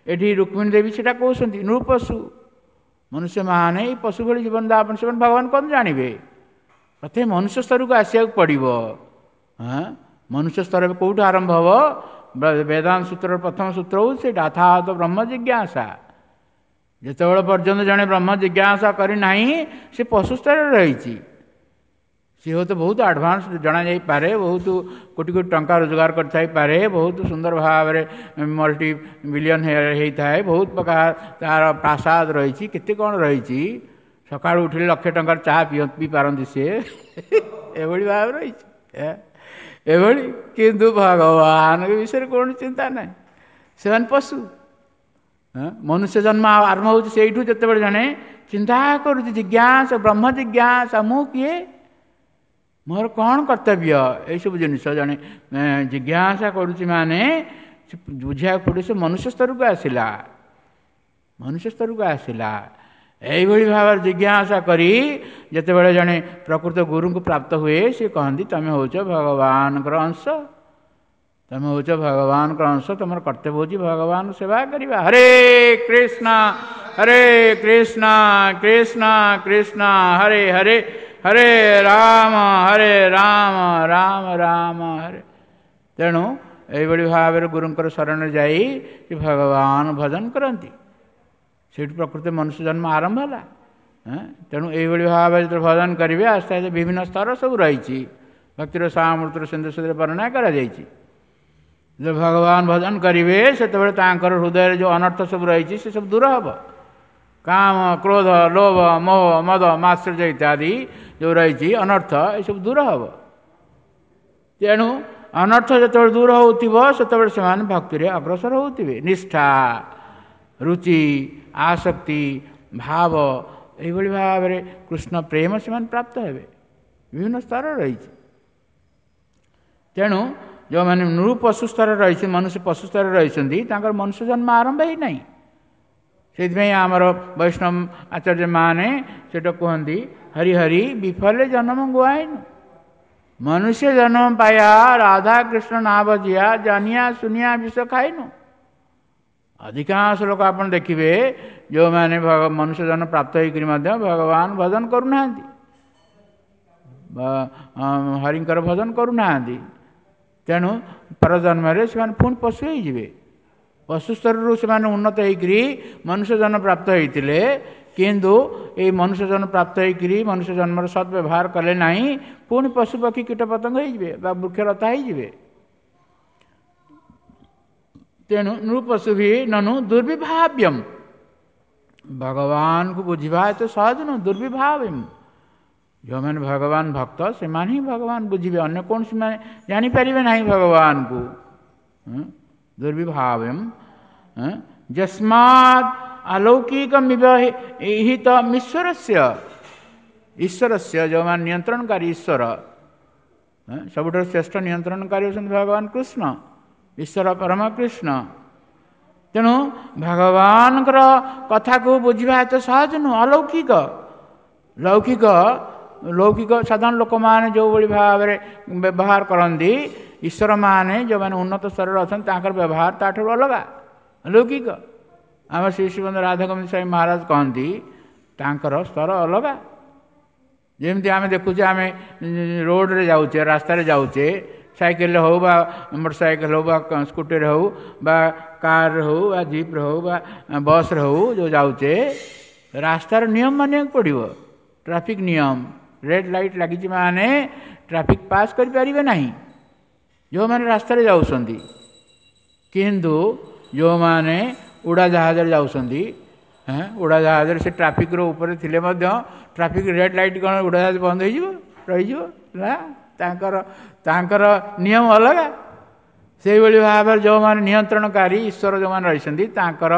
Speaker 1: ଏଠି ରୁକ୍ମିଣୀ ଦେବୀ ସେଇଟା କହୁଛନ୍ତି, ନୃପଶୁ। ମନୁଷ୍ୟମାନେ ଏଇ ପଶୁ ଭଳି ଜୀବନଯାପନ, ସେମାନେ ଭଗବାନ କ'ଣ ଜାଣିବେ? ପ୍ରଥମେ ମନୁଷ୍ୟ ସ୍ତରକୁ ଆସିବାକୁ ପଡ଼ିବ। ହଁ, ମନୁଷ୍ୟ ସ୍ତର କେଉଁଠୁ ଆରମ୍ଭ ହେବ? ବେଦାନ୍ତ ସୂତ୍ରର ପ୍ରଥମ ସୂତ୍ର ହେଉଛି ସେଇଟା, ଅଥାତ ବ୍ରହ୍ମ ଜିଜ୍ଞାସା। ଯେତେବେଳେ ପର୍ଯ୍ୟନ୍ତ ଜଣେ ବ୍ରହ୍ମ ଜିଜ୍ଞାସା କରିନାହିଁ, ସେ ପଶୁ ସ୍ତରରେ ରହିଛି। ସିଏ ହୁଏତ ବହୁତ ଆଡ଼ଭାନ୍ସ ଜଣାଯାଇପାରେ, ବହୁତ କୋଟି କୋଟି ଟଙ୍କା ରୋଜଗାର କରିଥାଇପାରେ, ବହୁତ ସୁନ୍ଦର ଭାବରେ ମଲ୍ଟି ବିଲିୟନ ହେଇଥାଏ, ବହୁତ ପ୍ରକାର ତାର ପ୍ରାସାଦ ରହିଛି, କେତେ କ'ଣ ରହିଛି। ସକାଳୁ ଉଠିଲେ ଲକ୍ଷେ ଟଙ୍କାର ଚାହା ପିଇପାରନ୍ତି ସିଏ, ଏଭଳି ଭାବରେ ରହିଛି ଏଭଳି। କିନ୍ତୁ ଭଗବାନଙ୍କ ବିଷୟରେ କୌଣସି ଚିନ୍ତା ନାହିଁ, ସେମାନେ ପଶୁ। ମନୁଷ୍ୟ ଜନ୍ମ ଆରମ୍ଭ ହେଉଛି ସେଇଠୁ, ଯେତେବେଳେ ଜଣେ ଚିନ୍ତା କରୁଛି, ଜିଜ୍ଞାସା, ବ୍ରହ୍ମ ଜିଜ୍ଞାସା, ମୁଁ କିଏ, ମୋର କ'ଣ କର୍ତ୍ତବ୍ୟ, ଏଇସବୁ ଜିନିଷ ଜଣେ ଜିଜ୍ଞାସା କରୁଛି। ମାନେ ବୁଝିବାକୁ ପଡ଼ିବ ସେ ମନୁଷ୍ୟ ସ୍ତରକୁ ଆସିଲା, ମନୁଷ୍ୟ ସ୍ତରକୁ ଆସିଲା। ଏଇଭଳି ଭାବରେ ଜିଜ୍ଞାସା କରି ଯେତେବେଳେ ଜଣେ ପ୍ରକୃତ ଗୁରୁଙ୍କୁ ପ୍ରାପ୍ତ ହୁଏ, ସେ କହନ୍ତି ତମେ ହେଉଛ ଭଗବାନଙ୍କର ଅଂଶ, ତମେ ହେଉଛ ଭଗବାନଙ୍କର ଅଂଶ, ତମର କର୍ତ୍ତବ୍ୟ ହେଉଛି ଭଗବାନ ସେବା କରିବା। ହରେ କୃଷ୍ଣ ହରେ କୃଷ୍ଣ କୃଷ୍ଣ କୃଷ୍ଣ ହରେ ହରେ, ହରେ ରାମ ହରେ ରାମ ରାମ ରାମ ହରେ। ତେଣୁ ଏଇଭଳି ଭାବରେ ଗୁରୁଙ୍କର ଶରଣରେ ଯାଇ ଭଗବାନ ଭଜନ କରନ୍ତି, ସେଇଠୁ ପ୍ରକୃତ ମନୁଷ୍ୟ ଜନ୍ମ ଆରମ୍ଭ ହେଲା। ତେଣୁ ଏଇଭଳି ଭାବରେ ଯେତେବେଳେ ଭଜନ କରିବେ, ଆସ୍ତେ ଆସ୍ତେ ବିଭିନ୍ନ ସ୍ତର ସବୁ ରହିଛି, ଭକ୍ତିର ସାମୃତର ସିନ୍ଧୁ ସେଥିରେ ବର୍ଣ୍ଣନା କରାଯାଇଛି। ଯେତେବେଳେ ଭଗବାନ ଭଜନ କରିବେ, ସେତେବେଳେ ତାଙ୍କର ହୃଦୟରେ ଯେଉଁ ଅନର୍ଥ ସବୁ ରହିଛି ସେ ସବୁ ଦୂର ହେବ। କାମ, କ୍ରୋଧ, ଲୋଭ, ମୋହ, ମଦ, ମାତ୍ସର୍ଯ୍ୟ ଇତ୍ୟାଦି ଯେଉଁ ରହିଛି ଅନର୍ଥ, ଏସବୁ ଦୂର ହେବ। ତେଣୁ ଅନର୍ଥ ଯେତେବେଳେ ଦୂର ହେଉଥିବ, ସେତେବେଳେ ସେମାନେ ଭକ୍ତିରେ ଅଗ୍ରସର ହେଉଥିବେ। ନିଷ୍ଠା, ରୁଚି, ଆସକ୍ତି, ଭାବ, ଏଇଭଳି ଭାବରେ କୃଷ୍ଣ ପ୍ରେମ ସେମାନେ ପ୍ରାପ୍ତ ହେବେ। ବିଭିନ୍ନ ସ୍ତର ରହିଛି। ତେଣୁ ଯେଉଁମାନେ ନୃପଶୁ ସ୍ତରରେ ରହିଛି, ମନୁଷ୍ୟ ପଶୁ ସ୍ତରରେ ରହିଛନ୍ତି, ତାଙ୍କର ମନୁଷ୍ୟ ଜନ୍ମ ଆରମ୍ଭ ହେଇନାହିଁ। ସେଇଥିପାଇଁ ଆମର ବୈଷ୍ଣବ ଆଚାର୍ଯ୍ୟମାନେ ସେଇଟା କୁହନ୍ତି, ହରି ହରି ବିଫଲେ ଜନ୍ମ ଗୁଆଇନୁ, ମନୁଷ୍ୟ ଜନ୍ମ ପାୟା ରାଧା କୃଷ୍ଣ ନା ବଜିଆ, ଜାନିଆ ସୁନିଆ ବିଷ ଖାଇନୁ। ଅଧିକାଂଶ ଲୋକ ଆପଣ ଦେଖିବେ ଯେଉଁମାନେ ମନୁଷ୍ୟ ଜନ୍ମ ପ୍ରାପ୍ତ ହେଇକରି ମଧ୍ୟ ଭଗବାନ ଭଜନ କରୁନାହାନ୍ତି, ହରିଙ୍କର ଭଜନ କରୁନାହାନ୍ତି। ତେଣୁ ପରଜନ୍ମରେ ସେମାନେ ପୁଣି ପଶୁ ହେଇଯିବେ। ପଶୁ ସ୍ତରରୁ ସେମାନେ ଉନ୍ନତ ହେଇକରି ମନୁଷ୍ୟ ଜନ୍ମ ପ୍ରାପ୍ତ ହେଇଥିଲେ, କିନ୍ତୁ ଏଇ ମନୁଷ୍ୟ ଜନ୍ମ ପ୍ରାପ୍ତ ହେଇକରି ମନୁଷ୍ୟ ଜନ୍ମର ସଦ୍ବ୍ୟବହାର କଲେ ନାହିଁ, ପୁଣି ପଶୁ ପକ୍ଷୀ କୀଟପତଙ୍ଗ ହେଇଯିବେ ବା ବୃକ୍ଷଲତା ହେଇଯିବେ। ତେଣୁ ନୃପଶୁ ବି ନନୁ ଦୁର୍ବିଭାବ୍ୟମ, ଭଗବାନଙ୍କୁ ବୁଝିବା ଏତେ ସହଜ ନୁହଁ। ଦୁର୍ବିଭାବ୍ୟମ, ଯେଉଁମାନେ ଭଗବାନ ଭକ୍ତ ସେମାନେ ହିଁ ଭଗବାନ ବୁଝିବେ, ଅନ୍ୟ କୌଣସି ମାନେ ଜାଣିପାରିବେ ନାହିଁ ଭଗବାନଙ୍କୁ। ଦୁର୍ବିଭାବ୍ୟମ ଯସ୍ମାତ୍ ଆଲୌକିକମିବ ହିତ ଈଶ୍ୱରସ୍ୟ, ଈଶ୍ୱରସ୍ୟ ଯେଉଁମାନେ ନିୟନ୍ତ୍ରଣକାରୀ ଈଶ୍ୱର, ସବୁଠାରୁ ଶ୍ରେଷ୍ଠ ନିୟନ୍ତ୍ରଣକାରୀ ହେଉଛନ୍ତି ଭଗବାନ କୃଷ୍ଣ, ଈଶ୍ୱର ପରମ କୃଷ୍ଣ। ତେଣୁ ଭଗବାନଙ୍କର କଥାକୁ ବୁଝିବା ଏତେ ସହଜ ନୁହଁ, ଅଲୌକିକ। ଲୌକିକ ଲୌକିକ ସାଧାରଣ ଲୋକମାନେ ଯେଉଁଭଳି ଭାବରେ ବ୍ୟବହାର କରନ୍ତି, ଈଶ୍ୱରମାନେ ଯେଉଁମାନେ ଉନ୍ନତ ସ୍ତରରେ ଅଛନ୍ତି ତାଙ୍କର ବ୍ୟବହାର ତାଠାରୁ ଅଲଗା, ଲୌକିକ। ଆମ ଶ୍ରୀ ଶ୍ରୀମନ୍ତ ରାଧାଗୋବିନ୍ଦ ସ୍ୱାମୀ ମହାରାଜ କହନ୍ତି ତାଙ୍କର ସ୍ତର ଅଲଗା। ଯେମିତି ଆମେ ଦେଖୁଛେ, ଆମେ ରୋଡ଼ରେ ଯାଉଛେ, ରାସ୍ତାରେ ଯାଉଛେ, ସାଇକେଲରେ ହେଉ ବା ମୋଟର ସାଇକେଲ ହେଉ ବା ସ୍କୁଟିରେ ହେଉ ବା କାରରେ ହେଉ ବା ଜିପ୍ରେ ହେଉ ବା ବସ୍ରେ ହେଉ, ଯେଉଁ ଯାଉଛେ, ରାସ୍ତାର ନିୟମ ମାନିବାକୁ ପଡ଼ିବ। ଟ୍ରାଫିକ୍ ନିୟମ, ରେଡ଼୍ ଲାଇଟ୍ ଲାଗିଛି ମାନେ ଟ୍ରାଫିକ୍ ପାସ୍ କରିପାରିବେ ନାହିଁ ଯେଉଁମାନେ ରାସ୍ତାରେ ଯାଉଛନ୍ତି। କିନ୍ତୁ ଯେଉଁମାନେ ଉଡ଼ାଜାହାଜରେ ଯାଉଛନ୍ତି, ଉଡ଼ାଜାହାଜରେ ସେ ଟ୍ରାଫିକ୍ର ଉପରେ ଥିଲେ ମଧ୍ୟ ଟ୍ରାଫିକ୍ ରେଡ଼୍ ଲାଇଟ୍ କ'ଣ ଉଡ଼ାଜାହାଜ ବନ୍ଦ ହେଇଯିବ, ରହିଯିବ ନା? ତାଙ୍କର ନିୟମ ଅଲଗା। ସେଇଭଳି ଭାବରେ ଯେଉଁମାନେ ନିୟନ୍ତ୍ରଣକାରୀ ଈଶ୍ୱର ଯେଉଁମାନେ ରହିଛନ୍ତି,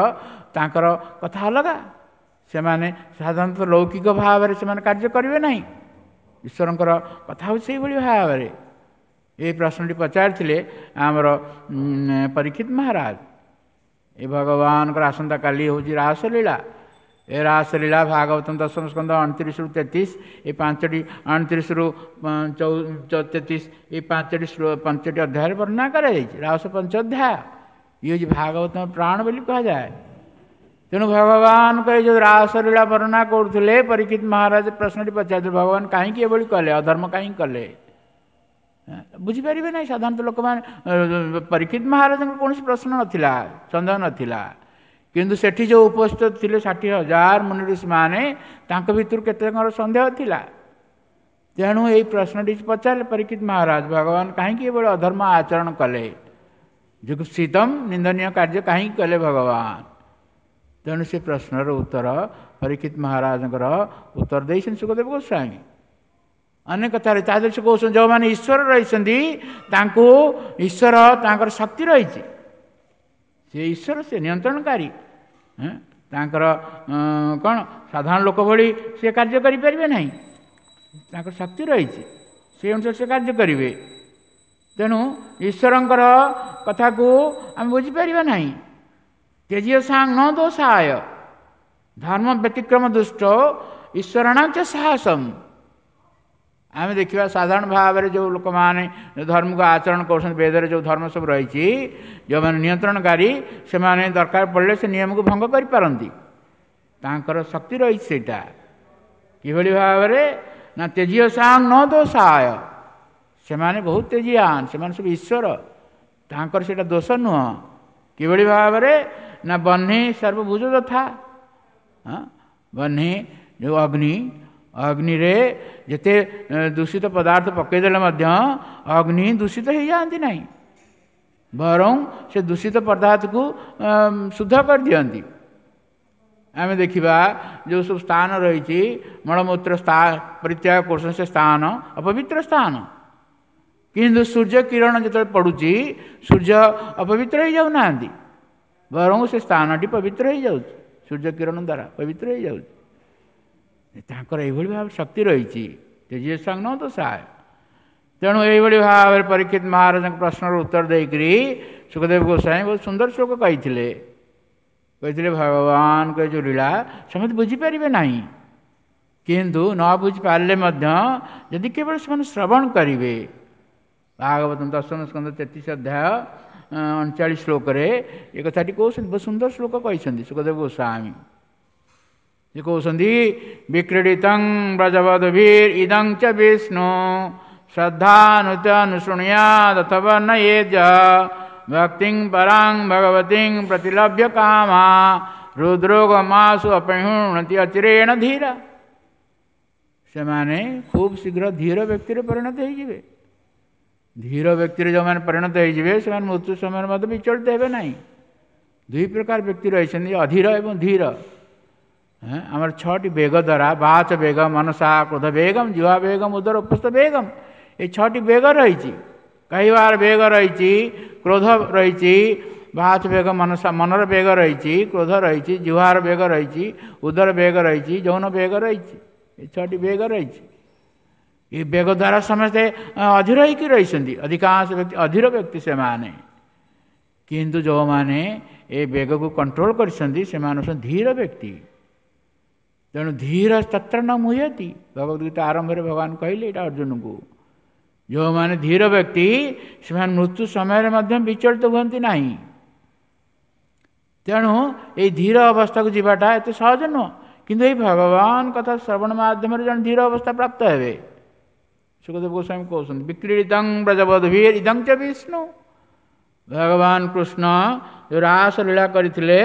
Speaker 1: ତାଙ୍କର କଥା ଅଲଗା। ସେମାନେ ସାଧାରଣତଃ ଲୌକିକ ଭାବରେ ସେମାନେ କାର୍ଯ୍ୟ କରିବେ ନାହିଁ। ଈଶ୍ୱରଙ୍କର କଥା ହେଉଛି ସେଇଭଳି ଭାବରେ। ଏଇ ପ୍ରଶ୍ନଟି ପଚାରିଥିଲେ ଆମର ପରୀକ୍ଷିତ ମହାରାଜ। ଏ ଭଗବାନଙ୍କର ଆସନ୍ତାକାଲି ହେଉଛି ରାସଲୀଳା। ଏ ରାସଲୀଳା ଭାଗବତ ଦଶମ ସ୍କନ୍ଧ 29ରୁ 33, ଏ 5ଟି, 29ରୁ 33, ଏ 5ଟି ଅଧ୍ୟାୟରେ ବର୍ଣ୍ଣନା କରାଯାଇଛି। ରାସ ପଞ୍ଚ ଅଧ୍ୟାୟ, ଇଏ ହେଉଛି ଭାଗବତ ପ୍ରାଣ ବୋଲି କୁହାଯାଏ। ତେଣୁ ଭଗବାନଙ୍କ ଏ ଯେଉଁ ରାସଲୀଳା ବର୍ଣ୍ଣନା କରୁଥିଲେ, ପରୀକ୍ଷିତ ମହାରାଜ ପ୍ରଶ୍ନଟି ପଚାରିଥିଲେ, ଭଗବାନ କାହିଁକି ଏଭଳି କଲେ, ଅଧର୍ମ କାହିଁକି କଲେ? ବୁଝିପାରିବେ ନାହିଁ ସାଧାରଣତଃ ଲୋକମାନେ। ପରୀକ୍ଷିତ ମହାରାଜଙ୍କର କୌଣସି ପ୍ରଶ୍ନ ନଥିଲା, ସନ୍ଦେହ ନଥିଲା, କିନ୍ତୁ ସେଠି ଯେଉଁ ଉପସ୍ଥିତ ଥିଲେ 60,000 ମୁନି ଋଷିମାନେ, ତାଙ୍କ ଭିତରୁ କେତେଜଣଙ୍କର ସନ୍ଦେହ ଥିଲା। ତେଣୁ ଏଇ ପ୍ରଶ୍ନଟି ପଚାରିଲେ ପରୀକ୍ଷିତ ମହାରାଜ, ଭଗବାନ କାହିଁକି ଏଭଳି ଅଧର୍ମ ଆଚରଣ କଲେ, ଯୁଗୁପ୍ସିତମ ନିନ୍ଦନୀୟ କାର୍ଯ୍ୟ କାହିଁକି କଲେ ଭଗବାନ? ତେଣୁ ସେ ପ୍ରଶ୍ନର ଉତ୍ତର ପରୀକ୍ଷିତ ମହାରାଜଙ୍କର ଉତ୍ତର ଦେଇଛନ୍ତି ଶୁକଦେବ ଗୋସ୍ୱାମୀ ଅନେକ କଥାରେ। ତା ଦେହରେ ସେ କହୁଛନ୍ତି, ଯେଉଁମାନେ ଈଶ୍ୱର ରହିଛନ୍ତି, ତାଙ୍କୁ ଈଶ୍ୱର ତାଙ୍କର ଶକ୍ତି ରହିଛି, ସେ ଈଶ୍ୱର, ସେ ନିୟନ୍ତ୍ରଣକାରୀ। ତାଙ୍କର କ'ଣ ସାଧାରଣ ଲୋକ ଭଳି ସେ କାର୍ଯ୍ୟ କରିପାରିବେ ନାହିଁ, ତାଙ୍କର ଶକ୍ତି ରହିଛି, ସେ ଅନୁସାରେ ସେ କାର୍ଯ୍ୟ କରିବେ। ତେଣୁ ଈଶ୍ୱରଙ୍କର କଥାକୁ ଆମେ ବୁଝିପାରିବା ନାହିଁ। ତେଜିୟ ସାଙ୍ଗ ନ ଦୋଷାୟ ଧର୍ମ ବ୍ୟତିକ୍ରମ ଦୁଷ୍ଟ ଈଶ୍ୱରଣାଞ୍ଚ ସାହସମ। ଆମେ ଦେଖିବା ସାଧାରଣ ଭାବରେ ଯେଉଁ ଲୋକମାନେ ଧର୍ମକୁ ଆଚରଣ କରୁଛନ୍ତି, ବେଦରେ ଯେଉଁ ଧର୍ମ ସବୁ ରହିଛି, ଯେଉଁମାନେ ନିୟନ୍ତ୍ରଣକାରୀ, ସେମାନେ ଦରକାର ପଡ଼ିଲେ ସେ ନିୟମକୁ ଭଙ୍ଗ କରିପାରନ୍ତି, ତାଙ୍କର ଶକ୍ତି ରହିଛି ସେଇଟା। କିଭଳି ଭାବରେ ନା ତେଜିୟ ସାଙ୍ଗ ନ ଦୋଷାୟ, ସେମାନେ ବହୁତ ତେଜିଆନ, ସେମାନେ ସବୁ ଈଶ୍ୱର, ତାଙ୍କର ସେଇଟା ଦୋଷ ନୁହଁ। କିଭଳି ଭାବରେ ନା ବହ୍ନି ସର୍ବଭୁଜ ଯଥା, ବହ୍ନି ଯେଉଁ ଅଗ୍ନି, ଅଗ୍ନିରେ ଯେତେ ଦୂଷିତ ପଦାର୍ଥ ପକାଇଦେଲେ ମଧ୍ୟ ଅଗ୍ନି ଦୂଷିତ ହେଇଯାଆନ୍ତି ନାହିଁ, ବରଂ ସେ ଦୂଷିତ ପଦାର୍ଥକୁ ଶୁଦ୍ଧ କରିଦିଅନ୍ତି। ଆମେ ଦେଖିବା ଯେଉଁ ସବୁ ସ୍ଥାନ ରହିଛି, ମଳମୂତ୍ର ପରିତ୍ୟାଗ କରୁଛନ୍ତି, ସେ ସ୍ଥାନ ଅପବିତ୍ର ସ୍ଥାନ, କିନ୍ତୁ ସୂର୍ଯ୍ୟ କିରଣ ଯେତେବେଳେ ପଡ଼ୁଛି, ସୂର୍ଯ୍ୟ ଅପବିତ୍ର ହେଇଯାଉନାହାନ୍ତି, ବରଂ ସେ ସ୍ଥାନଟି ପବିତ୍ର ହେଇଯାଉଛି, ସୂର୍ଯ୍ୟ କିରଣ ଦ୍ୱାରା ପବିତ୍ର ହେଇଯାଉଛି। ତାଙ୍କର ଏଇଭଳି ଭାବରେ ଶକ୍ତି ରହିଛି, ତେଜିୟ ସାଙ୍ଗ ତ ସାୟ। ତେଣୁ ଏଇଭଳି ଭାବରେ ପରୀକ୍ଷିତ ମହାରାଜଙ୍କ ପ୍ରଶ୍ନର ଉତ୍ତର ଦେଇକରି ଶୁକଦେବ ଗୋସ୍ୱାମୀ ବହୁତ ସୁନ୍ଦର ଶ୍ଲୋକ କହିଥିଲେ। କହିଥିଲେ ଭଗବାନଙ୍କ ଏ ଯେଉଁ ଲୀଳା ସମସ୍ତେ ବୁଝିପାରିବେ ନାହିଁ, କିନ୍ତୁ ନ ବୁଝିପାରିଲେ ମଧ୍ୟ ଯଦି କେବଳ ସେମାନେ ଶ୍ରବଣ କରିବେ, ଭାଗବତ ଦଶମ ସ୍କନ୍ଧ 33 ଅଧ୍ୟାୟ 39 ଶ୍ଲୋକରେ ଏ କଥାଟି କହୁଛନ୍ତି, ବହୁତ ସୁନ୍ଦର ଶ୍ଲୋକ କହିଛନ୍ତି ଶୁକଦେବ ଗୋସ୍ୱାମୀ। ସେ କହୁଛନ୍ତି, ବିକ୍ରୀଡ଼ିତଂ ବ୍ରଜବଧୂଭିର୍ ଇଦଂ ଚ ବିଷ୍ଣୁ ଶ୍ରଦ୍ଧାନୁତ ଅନୁଶୃଣୁୟାଦ୍ ଅଥବା ନୟେଜ ଭକ୍ତିଂ ପରାଂ ଭଗବତୀଂ ପ୍ରତିଲଭ୍ୟ କାମା ହୃଦ୍ରୋଗମାସୁ ଅପହୃଣତି ଅଚିରେଣ ଧୀର। ସେମାନେ ଖୁବ୍ ଶୀଘ୍ର ଧୀର ବ୍ୟକ୍ତିରେ ପରିଣତ ହେଇଯିବେ। ଧୀର ବ୍ୟକ୍ତିରେ ଯେଉଁମାନେ ପରିଣତ ହେଇଯିବେ, ସେମାନେ ମୃତ୍ୟୁ ସମୟରେ ମଧ୍ୟ ବିଚଳିତ ହେବେ ନାହିଁ। ଦୁଇ ପ୍ରକାର ବ୍ୟକ୍ତି ରହିଛନ୍ତି, ଅଧୀର ଏବଂ ଧୀର। ଆମର 6ଟି ବେଗ ଦ୍ୱାରା, ବାଚ ବେଗ, ମନସା କ୍ରୋଧ ବେଗମ, ଜିହ୍ୱା ବେଗମ, ଉଦର ଉପସ୍ଥ ବେଗମ, ଏ 6ଟି ବେଗ ରହିଛି। କହିବାର ବେଗ ରହିଛି, କ୍ରୋଧ ରହିଛି, ବାଚ ବେଗ, ମନସା ମନର ବେଗ ରହିଛି, କ୍ରୋଧ ରହିଛି, ଜିହ୍ୱାର ବେଗ ରହିଛି, ଉଦର ବେଗ ରହିଛି, ଯୌନ ବେଗ ରହିଛି, ଏ 6ଟି ବେଗ ରହିଛି। ଏ ବେଗ ଦ୍ୱାରା ସମସ୍ତେ ଅଧୀର ହେଇକି ରହିଛନ୍ତି, ଅଧିକାଂଶ ବ୍ୟକ୍ତି ଅଧୀର ବ୍ୟକ୍ତି ସେମାନେ। କିନ୍ତୁ ଯେଉଁମାନେ ଏ ବେଗକୁ କଣ୍ଟ୍ରୋଲ କରିଛନ୍ତି, ସେମାନେ ହେଉଛନ୍ତି ଧୀର ବ୍ୟକ୍ତି। ତେଣୁ ଧୀର ତତ୍ର ନ ମୁହ୍ୟତି, ଭଗବତ ଗୀତା ଆରମ୍ଭରେ ଭଗବାନ କହିଲେ ଏଇଟା ଅର୍ଜୁନଙ୍କୁ। ଯେଉଁମାନେ ଧୀର ବ୍ୟକ୍ତି ସେମାନେ ମୃତ୍ୟୁ ସମୟରେ ମଧ୍ୟ ବିଚଳିତ ହୁଅନ୍ତି ନାହିଁ। ତେଣୁ ଏଇ ଧୀର ଅବସ୍ଥାକୁ ଯିବାଟା ଏତେ ସହଜ ନୁହଁ, କିନ୍ତୁ ଏଇ ଭଗବାନ କଥା ଶ୍ରବଣ ମାଧ୍ୟମରେ ଜଣେ ଧୀର ଅବସ୍ଥା ପ୍ରାପ୍ତ ହେବେ। ଶୁକଦେବ ଗୋସ୍ୱାମୀ କହୁଛନ୍ତି, ବିକ୍ରୀଡ଼ିତଂ ବ୍ରଜବଧୂଭିର୍ ଇଦଂ ଚ ବିଷ୍ଣୁ। ଭଗବାନ କୃଷ୍ଣ ଯେଉଁ ରାସଲୀଳା କରିଥିଲେ,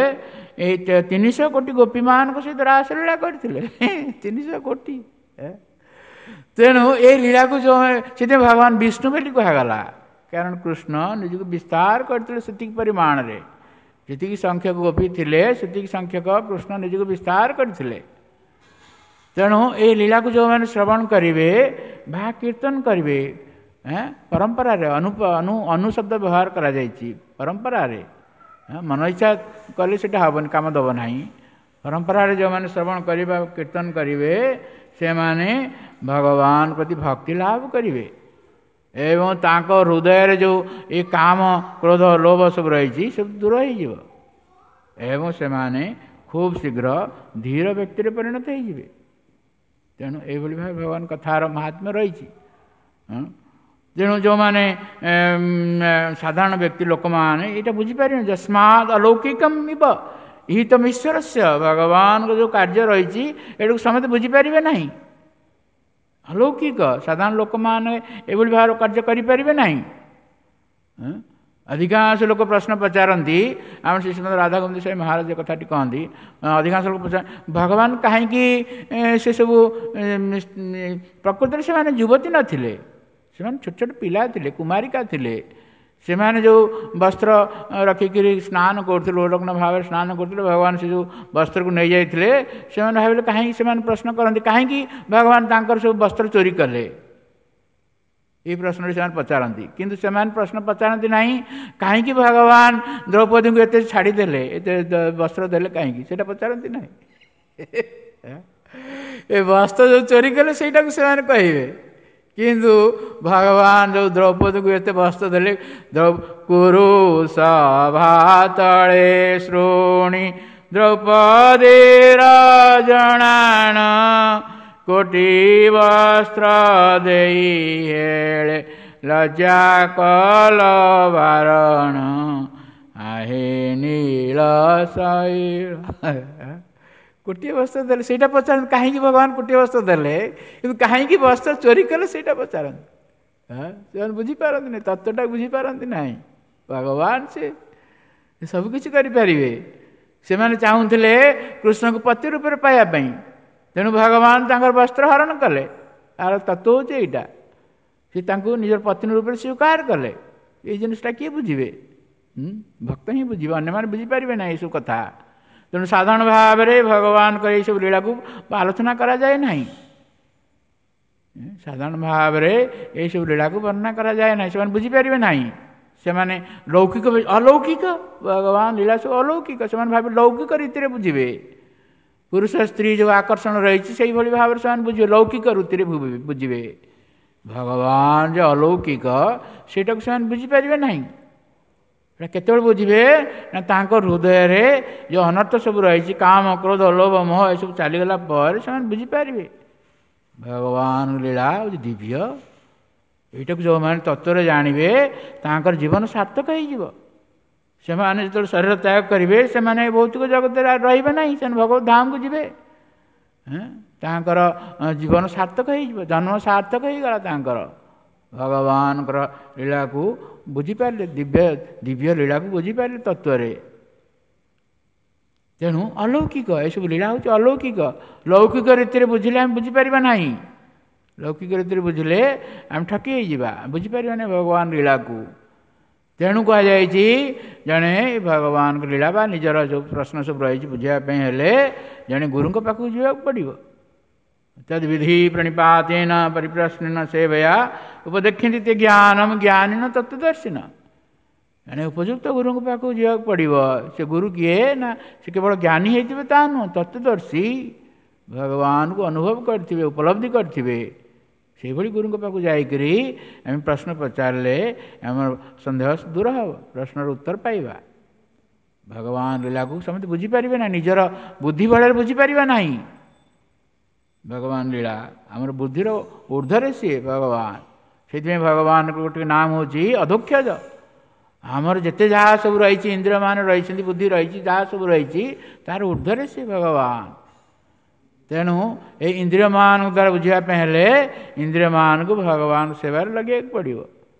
Speaker 1: ଏଇ 300 କୋଟି ଗୋପୀମାନଙ୍କ ସହିତ ରାସଲୀଳା କରିଥିଲେ, 300 କୋଟି। ତେଣୁ ଏଇ ଲୀଳାକୁ ଯେଉଁ ସେଥିପାଇଁ ଭଗବାନ ବିଷ୍ଣୁ ବୋଲି କୁହାଗଲା, କାରଣ କୃଷ୍ଣ ନିଜକୁ ବିସ୍ତାର କରିଥିଲେ ସେତିକି ପରିମାଣରେ, ଯେତିକି ସଂଖ୍ୟକ ଗୋପୀ ଥିଲେ ସେତିକି ସଂଖ୍ୟକ କୃଷ୍ଣ ନିଜକୁ ବିସ୍ତାର କରିଥିଲେ। ତେଣୁ ଏଇ ଲୀଳାକୁ ଯେଉଁମାନେ ଶ୍ରବଣ କରିବେ ବା କୀର୍ତ୍ତନ କରିବେ, ପରମ୍ପରାରେ ଅନୁ ଅନୁ ଅନୁ ଶବ୍ଦ ବ୍ୟବହାର କରାଯାଇଛି। ପରମ୍ପରାରେ ମନ ଇଚ୍ଛା କଲେ ସେଇଟା ହେବନି, କାମ ଦେବ ନାହିଁ। ପରମ୍ପରାରେ ଯେଉଁମାନେ ଶ୍ରବଣ କରିବେ, କୀର୍ତ୍ତନ କରିବେ, ସେମାନେ ଭଗବାନ ପ୍ରତି ଭକ୍ତି ଲାଭ କରିବେ ଏବଂ ତାଙ୍କ ହୃଦୟରେ ଯେଉଁ ଏ କାମ, କ୍ରୋଧ, ଲୋଭ ସବୁ ରହିଛି, ସବୁ ଦୂର ହେଇଯିବ ଏବଂ ସେମାନେ ଖୁବ୍ ଶୀଘ୍ର ଧୀର ବ୍ୟକ୍ତିରେ ପରିଣତ ହେଇଯିବେ। ତେଣୁ ଏଇଭଳି ଭାବେ ଭଗବାନ କଥାର ମହାତ୍ମ୍ୟ ରହିଛି। ତେଣୁ ଯେଉଁମାନେ ସାଧାରଣ ବ୍ୟକ୍ତି ଲୋକମାନେ ଏଇଟା ବୁଝିପାରିବେନି। ଯସ୍ମାଦ୍ ଅଲୌକିକମ୍ ଇବ ଇହିତମ୍ ଈଶ୍ୱରସ୍ୟ, ଭଗବାନଙ୍କ ଯେଉଁ କାର୍ଯ୍ୟ ରହିଛି ଏଟାକୁ ସମସ୍ତେ ବୁଝିପାରିବେ ନାହିଁ। ଅଲୌକିକ, ସାଧାରଣ ଲୋକମାନେ ଏଭଳି ଭାବରେ କାର୍ଯ୍ୟ କରିପାରିବେ ନାହିଁ। ଅଧିକାଂଶ ଲୋକ ପ୍ରଶ୍ନ ପଚାରନ୍ତି, ଆମର ଶ୍ରୀ ଶ୍ରୀମଦ ରାଧାଗୋବିନ୍ଦ ସ୍ୱାମୀ ମହାରାଜ କଥାଟି କହନ୍ତି, ଅଧିକାଂଶ ଲୋକ ପଚାର ଭଗବାନ କାହିଁକି ସେସବୁ, ପ୍ରକୃତରେ ସେମାନେ ଯୁବତୀ ନଥିଲେ, ସେମାନେ ଛୋଟ ଛୋଟ ପିଲା ଥିଲେ, କୁମାରିକା ଥିଲେ। ସେମାନେ ଯେଉଁ ବସ୍ତ୍ର ରଖିକିରି ସ୍ନାନ କରୁଥିଲେ, ଉଲଗ୍ନ ଭାବରେ ସ୍ନାନ କରୁଥିଲେ, ଭଗବାନ ସେ ଯେଉଁ ବସ୍ତ୍ରକୁ ନେଇଯାଇଥିଲେ। ସେମାନେ ଭାବିଲେ କାହିଁକି, ସେମାନେ ପ୍ରଶ୍ନ କରନ୍ତି କାହିଁକି ଭଗବାନ ତାଙ୍କର ସବୁ ବସ୍ତ୍ର ଚୋରି କଲେ, ଏଇ ପ୍ରଶ୍ନଟି ସେମାନେ ପଚାରନ୍ତି। କିନ୍ତୁ ସେମାନେ ପ୍ରଶ୍ନ ପଚାରନ୍ତି ନାହିଁ କାହିଁକି ଭଗବାନ ଦ୍ରୌପଦୀଙ୍କୁ ଏତେ ଛାଡ଼ିଦେଲେ, ଏତେ ବସ୍ତ୍ର ଦେଲେ କାହିଁକି, ସେଇଟା ପଚାରନ୍ତି ନାହିଁ। ଏ ବସ୍ତ୍ର ଯେଉଁ ଚୋରି କଲେ ସେଇଟାକୁ ସେମାନେ କହିବେ, କିନ୍ତୁ ଭଗବାନ ଯେଉଁ ଦ୍ରୌପଦୀକୁ ଏତେ ବସ୍ତ୍ର ଦେଲେ, କୁରୁ ସଭା ତଳେ ଶୁଣି ଦ୍ରୌପଦୀର ଜଣାଣ, କୋଟି ବସ୍ତ୍ର ଦେଇ ହେଳେ ଲଜ୍ଜା କଲ ବାରଣ, ଆହେ ନୀଳ ଶୈଳ। କୋଟିଏ ବସ୍ତ୍ର ଦେଲେ ସେଇଟା ପଚାରନ୍ତି କାହିଁକି ଭଗବାନ କୋଟିଏ ବସ୍ତ୍ର ଦେଲେ, କିନ୍ତୁ କାହିଁକି ବସ୍ତ୍ର ଚୋରି କଲେ ସେଇଟା ପଚାରନ୍ତି। ସେମାନେ ବୁଝିପାରନ୍ତି ନାହିଁ, ତତ୍ତ୍ୱଟା ବୁଝିପାରନ୍ତି ନାହିଁ। ଭଗବାନ ସେ ସବୁକିଛି କରିପାରିବେ। ସେମାନେ ଚାହୁଁଥିଲେ କୃଷ୍ଣଙ୍କୁ ପତି ରୂପରେ ପାଇବା ପାଇଁ, ତେଣୁ ଭଗବାନ ତାଙ୍କର ବସ୍ତ୍ର ହରଣ କଲେ। ତାର ତତ୍ତ୍ୱ ହେଉଛି ଏଇଟା, ସେ ତାଙ୍କୁ ନିଜର ପତ୍ନୀ ରୂପରେ ସ୍ୱୀକାର କଲେ। ଏଇ ଜିନିଷଟା କିଏ ବୁଝିବେ? ଭକ୍ତ ହିଁ ବୁଝିବେ, ଅନ୍ୟମାନେ ବୁଝିପାରିବେ ନାହିଁ ଏସବୁ କଥା। ତେଣୁ ସାଧାରଣ ଭାବରେ ଭଗବାନଙ୍କର ଏଇସବୁ ଲୀଳାକୁ ଆଲୋଚନା କରାଯାଏ ନାହିଁ। ସାଧାରଣ ଭାବରେ ଏଇସବୁ ଲୀଳାକୁ ବର୍ଣ୍ଣନା କରାଯାଏ ନାହିଁ, ସେମାନେ ବୁଝିପାରିବେ ନାହିଁ। ସେମାନେ ଲୌକିକ ଅଲୌକିକ, ଭଗବାନ ଲୀଳା ସବୁ ଅଲୌକିକ, ସେମାନେ ଭାବି ଲୌକିକ ରୀତିରେ ବୁଝିବେ। ପୁରୁଷ ସ୍ତ୍ରୀ ଯେଉଁ ଆକର୍ଷଣ ରହିଛି ସେଇଭଳି ଭାବରେ ସେମାନେ ବୁଝିବେ, ଲୌକିକ ରୀତିରେ ବୁଝିବେ। ଭଗବାନ ଯେ ଅଲୌକିକ ସେଇଟାକୁ ସେମାନେ ବୁଝିପାରିବେ ନାହିଁ। ଏଇଟା କେତେବେଳେ ବୁଝିବେ ନା ତାଙ୍କ ହୃଦୟରେ ଯେଉଁ ଅନର୍ଥ ସବୁ ରହିଛି, କାମ, କ୍ରୋଧ, ଲୋଭ, ମୋହ ଏସବୁ ଚାଲିଗଲା ପରେ ସେମାନେ ବୁଝିପାରିବେ ଭଗବାନ ଲୀଳା ହେଉଛି ଦିବ୍ୟ। ଏଇଟାକୁ ଯେଉଁମାନେ ତତ୍ତ୍ୱରେ ଜାଣିବେ ତାଙ୍କର ଜୀବନ ସାର୍ଥକ ହେଇଯିବ। ସେମାନେ ଯେତେବେଳେ ଶରୀର ତ୍ୟାଗ କରିବେ ସେମାନେ ଭୌତିକ ଜଗତରେ ରହିବେ ନାହିଁ, ସେମାନେ ଭଗବତ ଧାମକୁ ଯିବେ। ତାଙ୍କର ଜୀବନ ସାର୍ଥକ ହେଇଯିବ, ଜନ୍ମ ସାର୍ଥକ ହେଇଗଲା ତାଙ୍କର। ଭଗବାନଙ୍କର ଲୀଳାକୁ ବୁଝିପାରିଲେ, ଦିବ୍ୟ ଦିବ୍ୟ ଲୀଳାକୁ ବୁଝିପାରିଲେ ତତ୍ତ୍ୱରେ। ତେଣୁ ଅଲୌକିକ ଏସବୁ ଲୀଳା ହେଉଛି ଅଲୌକିକ। ଲୌକିକ ରୀତିରେ ବୁଝିଲେ ଆମେ ବୁଝିପାରିବା ନାହିଁ, ଲୌକିକ ରୀତିରେ ବୁଝିଲେ ଆମେ ଠକି ହେଇଯିବା, ବୁଝିପାରିବା ନାହିଁ ଭଗବାନ ଲୀଳାକୁ। ତେଣୁ କୁହାଯାଇଛି ଜଣେ ଭଗବାନଙ୍କ ଲୀଳା ବା ନିଜର ଯେଉଁ ପ୍ରଶ୍ନ ସବୁ ରହିଛି ବୁଝିବା ପାଇଁ ହେଲେ ଜଣେ ଗୁରୁଙ୍କ ପାଖକୁ ଯିବାକୁ ପଡ଼ିବ। ତଦ୍ବିଧି ପ୍ରଣିପାତେନ ପରିପ୍ରଶ୍ନେନ ସେବୟା ଉପଦେକ୍ଷନ୍ତି ତେ ଜ୍ଞାନମ ଜ୍ଞାନିନ ତତ୍ତ୍ୱଦର୍ଶିନ। ଜଣେ ଉପଯୁକ୍ତ ଗୁରୁଙ୍କ ପାଖକୁ ଯିବାକୁ ପଡ଼ିବ। ସେ ଗୁରୁ କିଏ ନା ସେ କେବଳ ଜ୍ଞାନୀ ହେଇଥିବେ ତା ନୁହଁ, ତତ୍ତ୍ୱଦର୍ଶୀ, ଭଗବାନଙ୍କୁ ଅନୁଭବ କରିଥିବେ, ଉପଲବ୍ଧି କରିଥିବେ। ସେଇଭଳି ଗୁରୁଙ୍କ ପାଖକୁ ଯାଇକରି ଆମେ ପ୍ରଶ୍ନ ପଚାରିଲେ ଆମର ସନ୍ଦେହ ଦୂର ହେବ, ପ୍ରଶ୍ନର ଉତ୍ତର ପାଇବା। ଭଗବାନ ଲୀଳାକୁ ସମସ୍ତେ ବୁଝିପାରିବେ ନା, ନିଜର ବୁଦ୍ଧି ବଳରେ ବୁଝିପାରିବା ନାହିଁ। ଭଗବାନ ଲୀଳା ଆମର ବୁଦ୍ଧିର ଉର୍ଦ୍ଧ୍ୱରେ ସିଏ ଭଗବାନ। ସେଇଥିପାଇଁ ଭଗବାନଙ୍କ ଗୋଟିଏ ନାମ ହେଉଛି ଅଧୋକ୍ଷଜ। ଆମର ଯେତେ ଯାହା ସବୁ ରହିଛି, ଇନ୍ଦ୍ରିୟମାନ ରହିଛନ୍ତି, ବୁଦ୍ଧି ରହିଛି, ଯାହା ସବୁ ରହିଛି ତାର ଉର୍ଦ୍ଧ୍ୱରେ ସିଏ ଭଗବାନ। ତେଣୁ ଏଇ ଇନ୍ଦ୍ରିୟମାନଙ୍କ ଦ୍ୱାରା ବୁଝିବା ପାଇଁ ହେଲେ ଇନ୍ଦ୍ରିୟମାନଙ୍କୁ ଭଗବାନ ସେବାରେ ଲଗେଇବାକୁ ପଡ଼ିବ।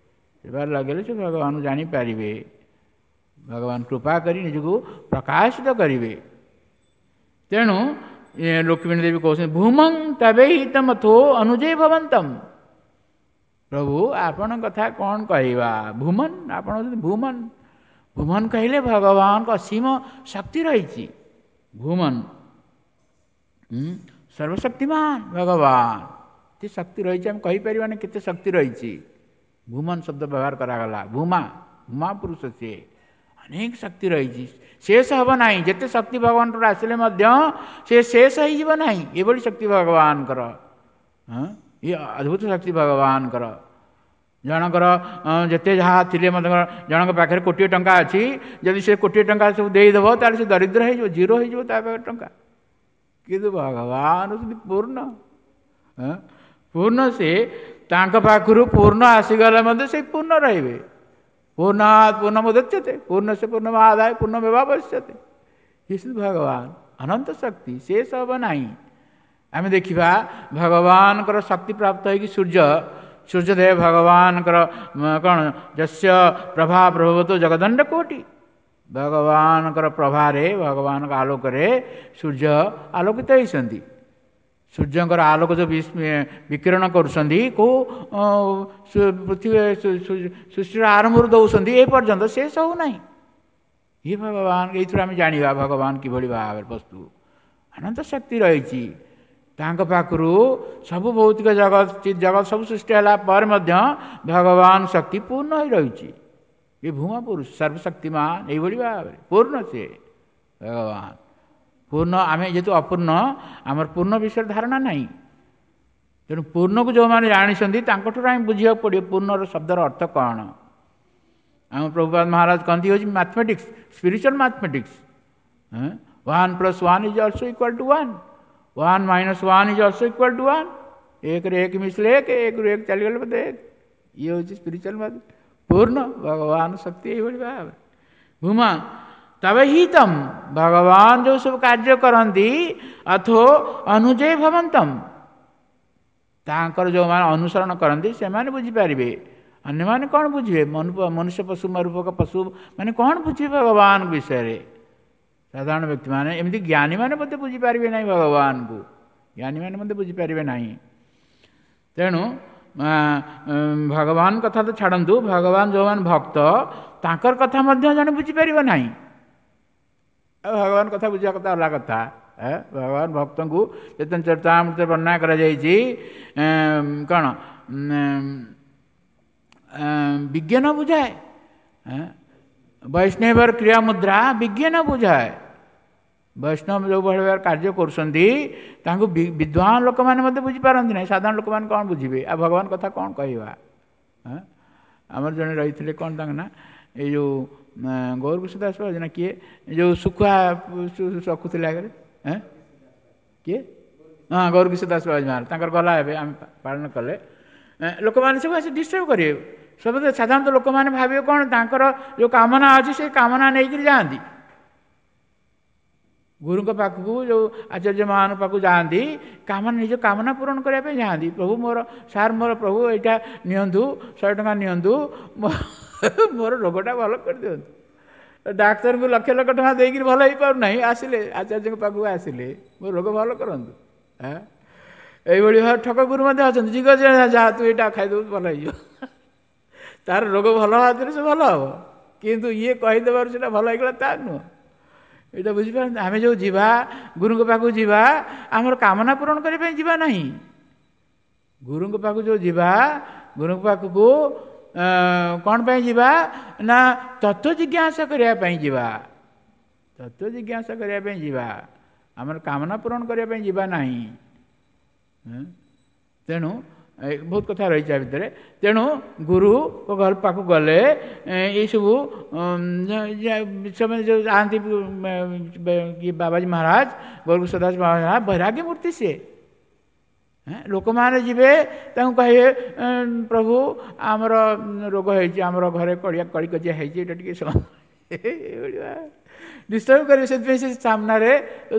Speaker 1: ସେବାରେ ଲଗେଇଲେ ସେ ଭଗବାନଙ୍କୁ ଜାଣିପାରିବେ, ଭଗବାନ କୃପା କରି ନିଜକୁ ପ୍ରକାଶିତ କରିବେ। ତେଣୁ ଲକ୍ଷ୍ମୀ ଦେବୀ କହୁଛନ୍ତି ଭୂମଂ ତବେହିତମଥୋ ଅନୁଜୟ ଭବନ୍ତମ। ପ୍ରଭୁ ଆପଣଙ୍କ କଥା କ'ଣ କହିବା? ଭୂମନ, ଆପଣ ହେଉଛନ୍ତି ଭୂମନ। ଭୂମନ କହିଲେ ଭଗବାନଙ୍କ ଅସୀମ ଶକ୍ତି ରହିଛି। ଭୂମନ ସର୍ବଶକ୍ତିମାନ ଭଗବାନ, ଏତେ ଶକ୍ତି ରହିଛି ଆମେ କହିପାରିବାନି କେତେ ଶକ୍ତି ରହିଛି। ଭୂମନ ଶବ୍ଦ ବ୍ୟବହାର କରାଗଲା। ଭୂମା, ଭୂମା ପୁରୁଷ ସିଏ, ଅନେକ ଶକ୍ତି ରହିଛି, ଶେଷ ହେବ ନାହିଁ। ଯେତେ ଶକ୍ତି ଭଗବାନଙ୍କର ଆସିଲେ ମଧ୍ୟ ସେ ଶେଷ ହେଇଯିବ ନାହିଁ, ଏଭଳି ଶକ୍ତି ଭଗବାନଙ୍କର। ହଁ, ଇଏ ଅଦ୍ଭୁତ ଶକ୍ତି ଭଗବାନଙ୍କର। ଜଣଙ୍କର ଯେତେ ଯାହା ଥିଲେ ମଧ୍ୟ, ଜଣଙ୍କ ପାଖରେ କୋଟିଏ ଟଙ୍କା ଅଛି, ଯଦି ସେ କୋଟିଏ ଟଙ୍କା ସବୁ ଦେଇଦେବ ତାହେଲେ ସେ ଦରିଦ୍ର ହେଇଯିବ, ଜିରୋ ହେଇଯିବ ତା ପାଖରେ ଟଙ୍କା। କିନ୍ତୁ ଭଗବାନ ହେଉଛନ୍ତି ପୂର୍ଣ୍ଣ, ପୂର୍ଣ୍ଣ ସେ, ତାଙ୍କ ପାଖରୁ ପୂର୍ଣ୍ଣ ଆସିଗଲେ ମଧ୍ୟ ସେ ପୂର୍ଣ୍ଣ ରହିବେ। ପୂର୍ଣ୍ଣାତ୍ ପୂର୍ଣ୍ଣମୁଦଚ୍ୟତେ ପୂର୍ଣ୍ଣସ୍ୟ ପୂର୍ଣ୍ଣମାଦାୟ ପୂର୍ଣ୍ଣମେବାବଶିଷ୍ୟତେ। ଇଏ ଭଗବାନ ଅନନ୍ତ ଶକ୍ତି, ଶେଷ ହେବ ନାହିଁ। ଆମେ ଦେଖିବା ଭଗବାନଙ୍କର ଶକ୍ତି ପ୍ରାପ୍ତ ହେଇକି ସୂର୍ଯ୍ୟ, ସୂର୍ଯ୍ୟଦେବ ଭଗବାନଙ୍କର କ'ଣ, ଯସ୍ୟ ପ୍ରଭା ପ୍ରଭବତୁ ଜଗଦଣ୍ଡ କୋଟି, ଭଗବାନଙ୍କର ପ୍ରଭାରେ, ଭଗବାନଙ୍କ ଆଲୋକରେ ସୂର୍ଯ୍ୟ ଆଲୋକିତ ହେଇଛନ୍ତି। ସୂର୍ଯ୍ୟଙ୍କର ଆଲୋକ ଯେଉଁ ବିକିରଣ କରୁଛନ୍ତି, କେଉଁ ପୃଥିବୀ ସୃଷ୍ଟିର ଆରମ୍ଭରୁ ଦେଉଛନ୍ତି ଏ ପର୍ଯ୍ୟନ୍ତ, ସେ ସବୁ ନାହିଁ। ଇଏ ଭଗବାନ, ଏଇଥିରୁ ଆମେ ଜାଣିବା ଭଗବାନ କିଭଳି ଭାବରେ ବସ୍ତୁ, ଅନନ୍ତ ଶକ୍ତି ରହିଛି ତାଙ୍କ ପାଖରୁ। ସବୁ ଭୌତିକ ଜଗତ, ଜଗତ ସବୁ ସୃଷ୍ଟି ହେଲା ପରେ ମଧ୍ୟ ଭଗବାନ ଶକ୍ତି ପୂର୍ଣ୍ଣ ହୋଇ ରହିଛି। ଏ ଭୂମା ପୁରୁଷ ସର୍ବଶକ୍ତିମାନ, ଏଇଭଳି ଭାବରେ ପୂର୍ଣ୍ଣ ସେ ଭଗବାନ ପୂର୍ଣ୍ଣ। ଆମେ ଯେହେତୁ ଅପୂର୍ଣ୍ଣ, ଆମର ପୂର୍ଣ୍ଣ ବିଷୟରେ ଧାରଣା ନାହିଁ। ତେଣୁ ପୂର୍ଣ୍ଣକୁ ଯେଉଁମାନେ ଜାଣିଛନ୍ତି ତାଙ୍କଠାରୁ ଆମେ ବୁଝିବାକୁ ପଡ଼ିବ ପୂର୍ଣ୍ଣର ଶବ୍ଦର ଅର୍ଥ କ'ଣ। ଆମ ପ୍ରଭୁପାଦ ମହାରାଜ କହନ୍ତି ହେଉଛି mathematics, spiritual mathematics. 1 plus 1 is also equal to 1, 1 minus 1 is also equal to 1। ଏକରେ ଏକ ମିଶିଲେ ଏକ, ଏକରୁ ଏକ ଚାଲିଗଲେ ବୋଧେ ଏକ। ଇଏ ହେଉଛି ସ୍ପିରିଚୁଆଲ ମ୍ୟାଥମେଟିକ୍ସ। ପୂର୍ଣ୍ଣ ଭଗବାନ ଶକ୍ତି ଏଇଭଳି ଭାବରେ ଭୂମା ତବେ ହିତମ, ଭଗବାନ ଯେଉଁ ସବୁ କାର୍ଯ୍ୟ କରନ୍ତି, ଅଥୋ ଅନୁଜୟ ଭବନ୍ତମ, ତାଙ୍କର ଯେଉଁମାନେ ଅନୁସରଣ କରନ୍ତି ସେମାନେ ବୁଝିପାରିବେ। ଅନ୍ୟମାନେ କ'ଣ ବୁଝିବେ? ମନୁଷ୍ୟ ପଶୁ ମରୂପକ ପଶୁ ମାନେ କ'ଣ ବୁଝିବେ ଭଗବାନ ବିଷୟରେ? ସାଧାରଣ ବ୍ୟକ୍ତିମାନେ, ଏମିତି ଜ୍ଞାନୀମାନେ ମଧ୍ୟ ବୁଝିପାରିବେ ନାହିଁ ଭଗବାନଙ୍କୁ, ଜ୍ଞାନୀମାନେ ମଧ୍ୟ ବୁଝିପାରିବେ ନାହିଁ। ତେଣୁ ଭଗବାନ କଥା ତ ଛାଡ଼ନ୍ତୁ, ଭଗବାନ ଯେଉଁମାନେ ଭକ୍ତ ତାଙ୍କର କଥା ମଧ୍ୟ ଜଣେ ବୁଝିପାରିବ ନାହିଁ। ଆଉ ଭଗବାନ କଥା ବୁଝିବା କଥା ଅଲଗା କଥା। ଭଗବାନ ଭକ୍ତଙ୍କୁ ଚୈତନ୍ୟ ଚରିତାମୃତ ବର୍ଣ୍ଣନା କରାଯାଇଛି କ'ଣ, ବିଜ୍ଞାନ ବୁଝାଏ, ବୈଷ୍ଣବର କ୍ରିୟା ମୁଦ୍ରା ବିଜ୍ଞାନ ବୁଝାଏ। ବୈଷ୍ଣବ ଯେଉଁଭଳି ଭାବରେ କାର୍ଯ୍ୟ କରୁଛନ୍ତି ତାଙ୍କୁ ବିଦ୍ୱାନ ଲୋକମାନେ ମଧ୍ୟ ବୁଝିପାରନ୍ତି ନାହିଁ, ସାଧାରଣ ଲୋକମାନେ କ'ଣ ବୁଝିବେ? ଆଉ ଭଗବାନ କଥା କ'ଣ କହିବା? ଆମର ଜଣେ ରହିଥିଲେ, କ'ଣ ତାଙ୍କ ନା, ଏଇ ଯେଉଁ ଗୌରକୃଷ୍ଣ ଦାସ ବାବୁ ନା କିଏ, ଯେଉଁ ଶୁଖୁଆ ରଖୁଥିଲେ ଆଗରେ, କିଏ? ହଁ, ଗୌରକୃଷ୍ଣ ଦାସ ବାବୁ ମହାରାଜ, ତାଙ୍କର ଗଲା ଏବେ ଆମେ ପାଳନ କଲେ। ଲୋକମାନେ ସବୁ ଆସି ଡିଷ୍ଟର୍ବ କରିବେ ସବୁ। ସାଧାରଣତଃ ଲୋକମାନେ ଭାବିବେ କ'ଣ, ତାଙ୍କର ଯେଉଁ କାମନା ଅଛି ସେ କାମନା ନେଇକରି ଯାଆନ୍ତି ଗୁରୁଙ୍କ ପାଖକୁ, ଯେଉଁ ଆଚାର୍ଯ୍ୟମାନଙ୍କ ପାଖକୁ ଯାଆନ୍ତି, କାମନା, ନିଜ କାମନା ପୂରଣ କରିବା ପାଇଁ ଯାଆନ୍ତି। ପ୍ରଭୁ ମୋର, ସାର୍ ମୋର ପ୍ରଭୁ ଏଇଟା ନିଅନ୍ତୁ, 100 ଟଙ୍କା ନିଅନ୍ତୁ, ମୋର ରୋଗଟା ଭଲ କରିଦିଅନ୍ତୁ। ଡାକ୍ତରଙ୍କୁ ଲକ୍ଷ ଲକ୍ଷ ଟଙ୍କା ଦେଇକିରି ଭଲ ହେଇପାରୁନାହିଁ, ଆସିଲେ ଆଚାର୍ଯ୍ୟଙ୍କ ପାଖକୁ, ଆସିଲେ ମୋ ରୋଗ ଭଲ କରନ୍ତୁ। ଏଇଭଳି ଭାବେ ଠକ ଗୁରୁ ମଧ୍ୟ ଅଛନ୍ତି। ଯିଏ ଯାହା ତୁ ଏଇଟା ଖାଇଦେବୁ ଭଲ ହେଇଯିବ, ତାର ରୋଗ ଭଲ ହେବା ସେ ଭଲ ହେବ, କିନ୍ତୁ ଇଏ କହିଦେବାରୁ ସେଇଟା ଭଲ ହେଇଗଲା ତା ନୁହଁ। ଏଇଟା ବୁଝିପାରନ୍ତି? ଆମେ ଯେଉଁ ଯିବା ଗୁରୁଙ୍କ ପାଖକୁ ଯିବା, ଆମର କାମନା ପୂରଣ କରିବା ପାଇଁ ଯିବା ନାହିଁ। ଗୁରୁଙ୍କ ପାଖକୁ ଯେଉଁ ଯିବା, ଗୁରୁଙ୍କ ପାଖକୁ କ'ଣ ପାଇଁ ଯିବା ନା ତତ୍ତ୍ୱ ଜିଜ୍ଞାସା କରିବା ପାଇଁ ଯିବା। ତତ୍ତ୍ୱ ଜିଜ୍ଞାସା କରିବା ପାଇଁ ଯିବା, ଆମର କାମନା ପୂରଣ କରିବା ପାଇଁ ଯିବା ନାହିଁ। ତେଣୁ ବହୁତ କଥା ରହିଛି ଆ ଭିତରେ। ତେଣୁ ଗୁରୁଙ୍କ ଘର ପାଖକୁ ଗଲେ ଏଇସବୁ ସେମାନେ ଯେଉଁ ଯାଆନ୍ତି, ବାବାଜୀ ମହାରାଜ, ଗୌରକୃଷ୍ଣ ଦାସ ମହାରାଜ, ବୈରାଗ୍ୟ ମୂର୍ତ୍ତି ସିଏ। ଲୋକମାନେ ଯିବେ, ତାଙ୍କୁ କହିବେ ପ୍ରଭୁ ଆମର ରୋଗ ହେଇଛି, ଆମର ଘରେ କଳିକଜିଆ ହେଇଛି, ଏଇଟା ଟିକେ ଏଇଭଳି ଡିଷ୍ଟର୍ବ କରିବେ। ସେଥିପାଇଁ ସେ ସାମ୍ନାରେ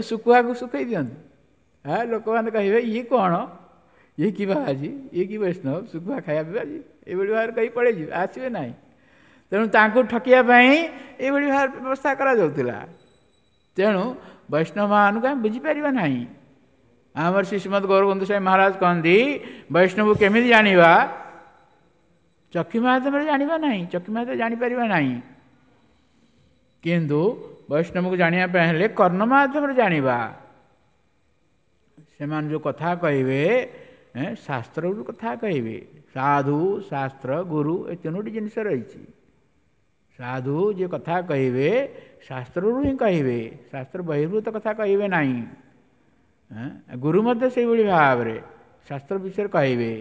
Speaker 1: ଶୁଖୁଆକୁ ଶୁଖେଇ ଦିଅନ୍ତି। ହଁ, ଲୋକମାନେ କହିବେ ଇଏ କ'ଣ, ଇଏ କି ବାବାଜୀ, ଇଏ କି ବୈଷ୍ଣବ, ଶୁଖୁଆ ଖାଇବା ପିଇବା, ଏଇଭଳି ଭାବରେ କହି ପଳେଇଯିବେ, ଆସିବେ ନାହିଁ। ତେଣୁ ତାଙ୍କୁ ଠକିବା ପାଇଁ ଏଇଭଳି ଭାବରେ ବ୍ୟବସ୍ଥା କରାଯାଉଥିଲା। ତେଣୁ ବୈଷ୍ଣବମାନଙ୍କୁ ଆମେ ବୁଝିପାରିବା ନାହିଁ। ଆମର ଶ୍ରୀ ଶ୍ରୀମଦ୍ ଗୌରବନ୍ଧୁ ସ୍ୱାମୀ ମହାରାଜ କହନ୍ତି, ବୈଷ୍ଣବକୁ କେମିତି ଜାଣିବା? ଚକ୍ଷୁ ମାଧ୍ୟମରେ ଜାଣିବା ନାହିଁ, ଚକ୍ଷୁ ମାଧ୍ୟମରେ ଜାଣିପାରିବା ନାହିଁ। କିନ୍ତୁ ବୈଷ୍ଣବକୁ ଜାଣିବା ପାଇଁ ହେଲେ କର୍ଣ୍ଣ ମାଧ୍ୟମରେ ଜାଣିବା। ସେମାନେ ଯେଉଁ କଥା କହିବେ ଶାସ୍ତ୍ରରୁ କଥା କହିବେ। ସାଧୁ, ଶାସ୍ତ୍ର, ଗୁରୁ ଏ ତିନୋଟି ଜିନିଷ ରହିଛି। ସାଧୁ ଯିଏ କଥା କହିବେ ଶାସ୍ତ୍ରରୁ ହିଁ କହିବେ, ଶାସ୍ତ୍ର ବହିର୍ଭୂତ କଥା କହିବେ ନାହିଁ। ଗୁରୁ ମଧ୍ୟ ସେଇଭଳି ଭାବରେ ଶାସ୍ତ୍ର ବିଷୟରେ କହିବେ।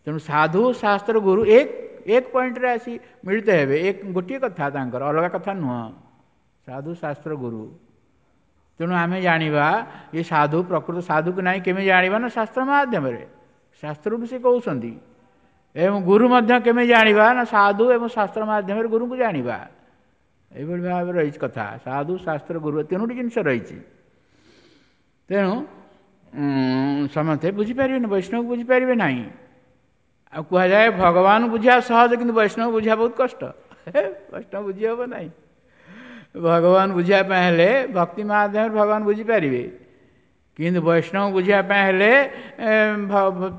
Speaker 1: ତେଣୁ ସାଧୁ, ଶାସ୍ତ୍ର, ଗୁରୁ ଏକ ଏକ ପଏଣ୍ଟରେ ଆସି ମିଳିତ ହେବେ। ଏକ ଗୋଟିଏ କଥା, ତାଙ୍କର ଅଲଗା କଥା ନୁହଁ। ସାଧୁ, ଶାସ୍ତ୍ର, ଗୁରୁ। ତେଣୁ ଆମେ ଜାଣିବା ଏ ସାଧୁ ପ୍ରକୃତ ସାଧୁକୁ ନାହିଁ କେମିତି ଜାଣିବା ନା ଶାସ୍ତ୍ର ମାଧ୍ୟମରେ, ଶାସ୍ତ୍ରରୁ ସେ କହୁଛନ୍ତି। ଏବଂ ଗୁରୁ ମଧ୍ୟ କେମିତି ଜାଣିବା ନା ସାଧୁ ଏବଂ ଶାସ୍ତ୍ର ମାଧ୍ୟମରେ ଗୁରୁଙ୍କୁ ଜାଣିବା। ଏଇଭଳି ଭାବରେ ରହିଛି କଥା। ସାଧୁ, ଶାସ୍ତ୍ର, ଗୁରୁ ତିନୋଟି ଜିନିଷ ରହିଛି। ତେଣୁ ସମସ୍ତେ ବୁଝିପାରିବେନି, ବୈଷ୍ଣବ ବୁଝିପାରିବେ ନାହିଁ। ଆଉ କୁହାଯାଏ ଭଗବାନ ବୁଝିବା ସହଜ, କିନ୍ତୁ ବୈଷ୍ଣବ ବୁଝିବା ବହୁତ କଷ୍ଟ। ବୈଷ୍ଣବ ବୁଝି ହେବ ନାହିଁ। ଭଗବାନ ବୁଝିବା ପାଇଁ ହେଲେ ଭକ୍ତି ମାଧ୍ୟମରେ ଭଗବାନ ବୁଝିପାରିବେ, କିନ୍ତୁ ବୈଷ୍ଣବ ବୁଝିବା ପାଇଁ ହେଲେ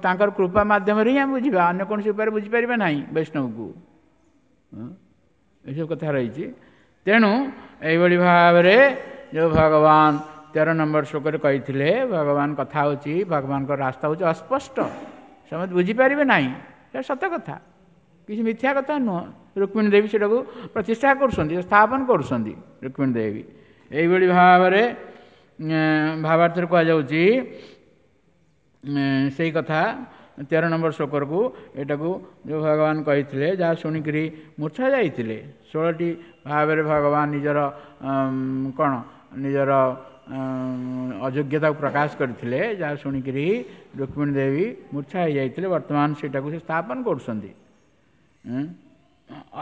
Speaker 1: ତାଙ୍କର କୃପା ମାଧ୍ୟମରେ ହିଁ ଆମେ ବୁଝିବା, ଅନ୍ୟ କୌଣସି ଉପାୟରେ ବୁଝିପାରିବା ନାହିଁ ବୈଷ୍ଣବକୁ। ଏସବୁ କଥା ରହିଛି। ତେଣୁ ଏଇଭଳି ଭାବରେ ଯେଉଁ ଭଗବାନ 13 ନମ୍ବର ଶ୍ଲୋକରେ କହିଥିଲେ, ଭଗବାନ କଥା ହେଉଛି, ଭଗବାନଙ୍କ ରାସ୍ତା ହେଉଛି ଅସ୍ପଷ୍ଟ, ସମସ୍ତେ ବୁଝିପାରିବେ ନାହିଁ। ସେଇଟା ସତ କଥା, କିଛି ମିଥ୍ୟା କଥା ନୁହଁ। ରୁକ୍ମିଣୀ ଦେବୀ ସେଟାକୁ ପ୍ରତିଷ୍ଠା କରୁଛନ୍ତି, ସ୍ଥାପନ କରୁଛନ୍ତି ରୁକ୍ମିଣୀ ଦେବୀ। ଏଇଭଳି ଭାବରେ ଭାବାର୍ଥରେ କୁହାଯାଉଛି ସେଇ କଥା 13 ନମ୍ବର ଶ୍ଲୋକକୁ, ଏଟାକୁ ଯେଉଁ ଭଗବାନ କହିଥିଲେ, ଯାହା ଶୁଣିକରି ମୂର୍ଚ୍ଛା ଯାଇଥିଲେ। 16ଟି ଭାବରେ ଭଗବାନ ନିଜର କ'ଣ ନିଜର ଅଯୋଗ୍ୟତାକୁ ପ୍ରକାଶ କରିଥିଲେ, ଯାହା ଶୁଣିକରି ରୁକ୍ମିଣୀ ଦେବୀ ମୂର୍ଚ୍ଛା ହେଇଯାଇଥିଲେ। ବର୍ତ୍ତମାନ ସେଇଟାକୁ ସେ ସ୍ଥାପନ କରୁଛନ୍ତି।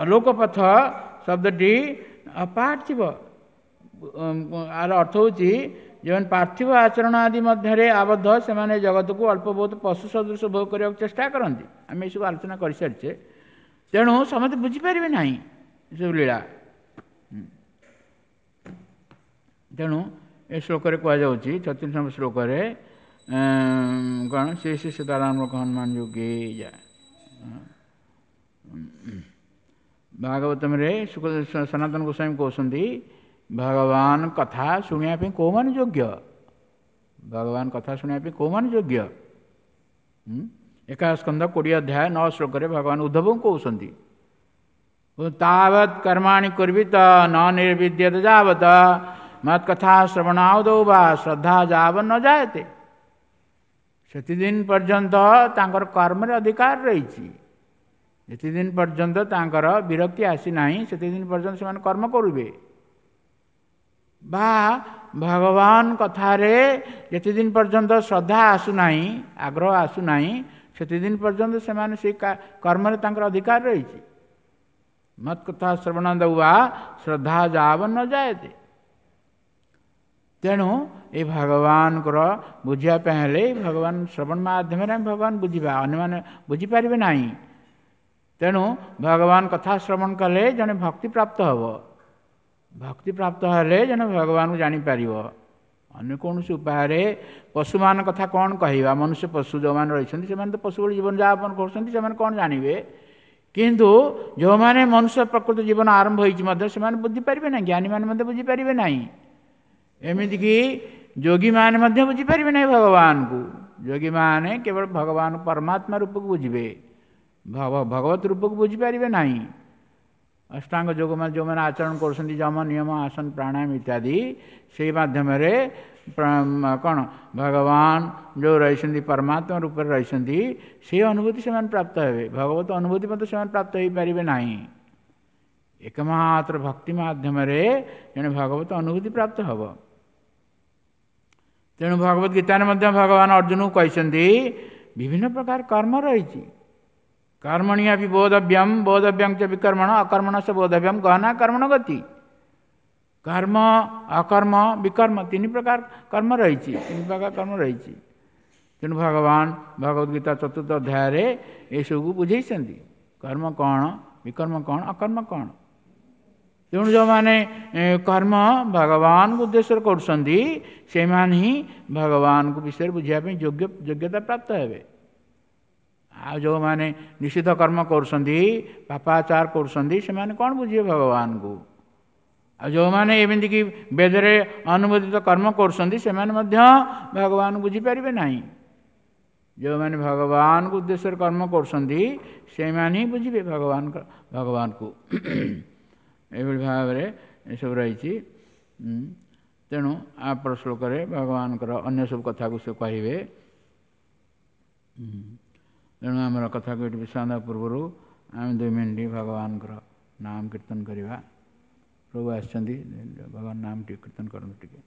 Speaker 1: ଅଲୋକ ପଥ ଶବ୍ଦଟି ପାର୍ଥିବ, ଆର ଅର୍ଥ ହେଉଛି ଯେଉଁମାନେ ପାର୍ଥିବ ଆଚରଣ ଆଦି ମଧ୍ୟରେ ଆବଦ୍ଧ, ସେମାନେ ଜଗତକୁ ଅଳ୍ପ ବହୁତ ପଶୁ ସଦୃଶ ଭୋଗ କରିବାକୁ ଚେଷ୍ଟା କରନ୍ତି। ଆମେ ଏସବୁ ଆଲୋଚନା କରିସାରିଛେ। ତେଣୁ ସମସ୍ତେ ବୁଝିପାରିବେ ନାହିଁ ଏସବୁ ଲୀଳା। ତେଣୁ ଏ ଶ୍ଲୋକରେ କୁହାଯାଉଛି 36 ନମ୍ବର ଶ୍ଲୋକରେ କ'ଣ, ଶ୍ରୀ ଶ୍ରୀ ସୀତାରାମ ହନୁମାନ ଯୋଗୀ ଯାଏ। ଭାଗବତମରେ ସନାତନ ଗୋସ୍ୱାମୀ କହୁଛନ୍ତି ଭଗବାନ କଥା ଶୁଣିବା ପାଇଁ କେଉଁମାନେ ଯୋଗ୍ୟ? ଭଗବାନ କଥା ଶୁଣିବା ପାଇଁ କେଉଁମାନେ ଯୋଗ୍ୟ? ଏକାଦଶ ସ୍କନ୍ଧ 20 ଅଧ୍ୟାୟ 9 ଶ୍ଲୋକରେ ଭଗବାନ ଉଦ୍ଧବଙ୍କୁ କହୁଛନ୍ତି, ତାବତ୍ କର୍ମାଣି କୁର୍ବିତ ନ ନିର୍ବିଦ୍ୟତ ଯାବତ ମତ୍ କଥା ଶ୍ରବଣାଉଦୌ ବା ଶ୍ରଦ୍ଧା ଯାବ ନ ଜାୟତେ। ସେତିଦିନ ପର୍ଯ୍ୟନ୍ତ ତାଙ୍କର କର୍ମରେ ଅଧିକାର ରହିଛି, ଯେତେଦିନ ପର୍ଯ୍ୟନ୍ତ ତାଙ୍କର ବିରକ୍ତି ଆସିନାହିଁ ସେତେଦିନ ପର୍ଯ୍ୟନ୍ତ ସେମାନେ କର୍ମ କରିବେ। ବା ଭଗବାନ କଥାରେ ଯେତେଦିନ ପର୍ଯ୍ୟନ୍ତ ଶ୍ରଦ୍ଧା ଆସୁନାହିଁ, ଆଗ୍ରହ ଆସୁନାହିଁ, ସେତେଦିନ ପର୍ଯ୍ୟନ୍ତ ସେମାନେ ସେଇ କର୍ମରେ ତାଙ୍କର ଅଧିକାର ରହିଛି। ମତ୍ କଥା ଶ୍ରବଣ ଦୌବା ଶ୍ରଦ୍ଧା ଯାବ ନ ଯାଏତେ। ତେଣୁ ଏ ଭଗବାନଙ୍କର ବୁଝିବା ପାଇଁ ହେଲେ ଭଗବାନ ଶ୍ରବଣ ମାଧ୍ୟମରେ ଆମେ ଭଗବାନ ବୁଝିବା, ଅନ୍ୟମାନେ ବୁଝିପାରିବେ ନାହିଁ। ତେଣୁ ଭଗବାନ କଥା ଶ୍ରବଣ କଲେ ଜଣେ ଭକ୍ତି ପ୍ରାପ୍ତ ହେବ, ଭକ୍ତି ପ୍ରାପ୍ତ ହେଲେ ଜଣେ ଭଗବାନଙ୍କୁ ଜାଣିପାରିବ। ଅନ୍ୟ କୌଣସି ଉପାୟରେ ପଶୁମାନଙ୍କ କଥା କ'ଣ କହିବା? ମନୁଷ୍ୟ ପଶୁ ଯେଉଁମାନେ ରହିଛନ୍ତି ସେମାନେ ତ ପଶୁ ଭଳି ଜୀବନଯାପନ କରୁଛନ୍ତି, ସେମାନେ କ'ଣ ଜାଣିବେ? କିନ୍ତୁ ଯେଉଁମାନେ ମନୁଷ୍ୟ ପ୍ରକୃତ ଜୀବନ ଆରମ୍ଭ ହୋଇଛି ମଧ୍ୟ ସେମାନେ ବୁଝିପାରିବେ ନାହିଁ, ଜ୍ଞାନୀମାନେ ମଧ୍ୟ ବୁଝିପାରିବେ ନାହିଁ, ଏମିତିକି ଯୋଗୀମାନେ ମଧ୍ୟ ବୁଝିପାରିବେ ନାହିଁ ଭଗବାନଙ୍କୁ। ଯୋଗୀମାନେ କେବଳ ଭଗବାନ ପରମାତ୍ମା ରୂପକୁ ବୁଝିବେ, ଭଗବତ ରୂପକୁ ବୁଝିପାରିବେ ନାହିଁ। ଅଷ୍ଟାଙ୍ଗ ଯୋଗମାନେ ଯେଉଁମାନେ ଆଚରଣ କରୁଛନ୍ତି ଯମ ନିୟମ ଆସନ ପ୍ରାଣାୟାମ ଇତ୍ୟାଦି, ସେଇ ମାଧ୍ୟମରେ କ'ଣ ଭଗବାନ ଯେଉଁ ରହିଛନ୍ତି ପରମାତ୍ମା ରୂପରେ ରହିଛନ୍ତି, ସେଇ ଅନୁଭୂତି ସେମାନେ ପ୍ରାପ୍ତ ହେବେ। ଭଗବତ ଅନୁଭୂତି ମଧ୍ୟ ସେମାନେ ପ୍ରାପ୍ତ ହୋଇପାରିବେ ନାହିଁ। ଏକମାତ୍ର ଭକ୍ତି ମାଧ୍ୟମରେ ଜଣେ ଭଗବତ ଅନୁଭୂତି ପ୍ରାପ୍ତ ହେବ। ତେଣୁ ଭଗବତ ଗୀତାରେ ମଧ୍ୟ ଭଗବାନ ଅର୍ଜୁନକୁ କହିଛନ୍ତି ବିଭିନ୍ନ ପ୍ରକାର କର୍ମ ରହିଛି। କର୍ମଣି ଅପି ବୋଧବ୍ୟମ ବୋଧବ୍ୟଂ ଚ ବିକର୍ମଣ ଅକର୍ମଣ ସେ ବୋଧବ୍ୟମ ଗହନା କର୍ମଣ ଗତି। କର୍ମ, ଅକର୍ମ, ବିକର୍ମ ତିନି ପ୍ରକାର କର୍ମ ରହିଛି, ତିନି ପ୍ରକାର କର୍ମ ରହିଛି। ତେଣୁ ଭଗବାନ ଭଗବତ ଗୀତା 4ର୍ଥ ଅଧ୍ୟାୟରେ ଏସବୁକୁ ବୁଝେଇଛନ୍ତି, କର୍ମ କ'ଣ, ବିକର୍ମ କ'ଣ, ଅକର୍ମ କ'ଣ। ତେଣୁ ଯେଉଁମାନେ କର୍ମ ଭଗବାନଙ୍କୁ ଉଦ୍ଦେଶ୍ୟରେ କରୁଛନ୍ତି ସେମାନେ ହିଁ ଭଗବାନଙ୍କ ବିଷୟରେ ବୁଝିବା ପାଇଁ ଯୋଗ୍ୟତା ପ୍ରାପ୍ତ ହେବେ। ଆଉ ଯେଉଁମାନେ ନିଷିଦ୍ଧ କର୍ମ କରୁଛନ୍ତି, ପାପାଚାର କରୁଛନ୍ତି, ସେମାନେ କ'ଣ ବୁଝିବେ ଭଗବାନଙ୍କୁ? ଆଉ ଯେଉଁମାନେ ଏମିତିକି ବେଦରେ ଅନୁମୋଦିତ କର୍ମ କରୁଛନ୍ତି ସେମାନେ ମଧ୍ୟ ଭଗବାନଙ୍କୁ ବୁଝିପାରିବେ ନାହିଁ। ଯେଉଁମାନେ ଭଗବାନଙ୍କୁ ଉଦ୍ଦେଶ୍ୟରେ କର୍ମ କରୁଛନ୍ତି, ସେମାନେ ହିଁ ବୁଝିବେ ଭଗବାନଙ୍କ ଭଗବାନକୁ। ଏଇଭଳି ଭାବରେ ଏସବୁ ରହିଛି। ତେଣୁ ଆପର ଶ୍ଲୋକରେ ଭଗବାନଙ୍କର ଅନ୍ୟ ସବୁ କଥାକୁ ସେ କହିବେ। ତେଣୁ ଆମର କଥାକୁ ଏଠି ବିଶ୍ରାମ ଦେବା ପୂର୍ବରୁ ଆମେ 2 ମିନିଟ୍ ଭଗବାନଙ୍କର ନାମ କୀର୍ତ୍ତନ କରିବା। ପ୍ରଭୁ ଆସିଛନ୍ତି, ଭଗବାନ ନାମ ଟିକେ କୀର୍ତ୍ତନ କରନ୍ତୁ ଟିକେ।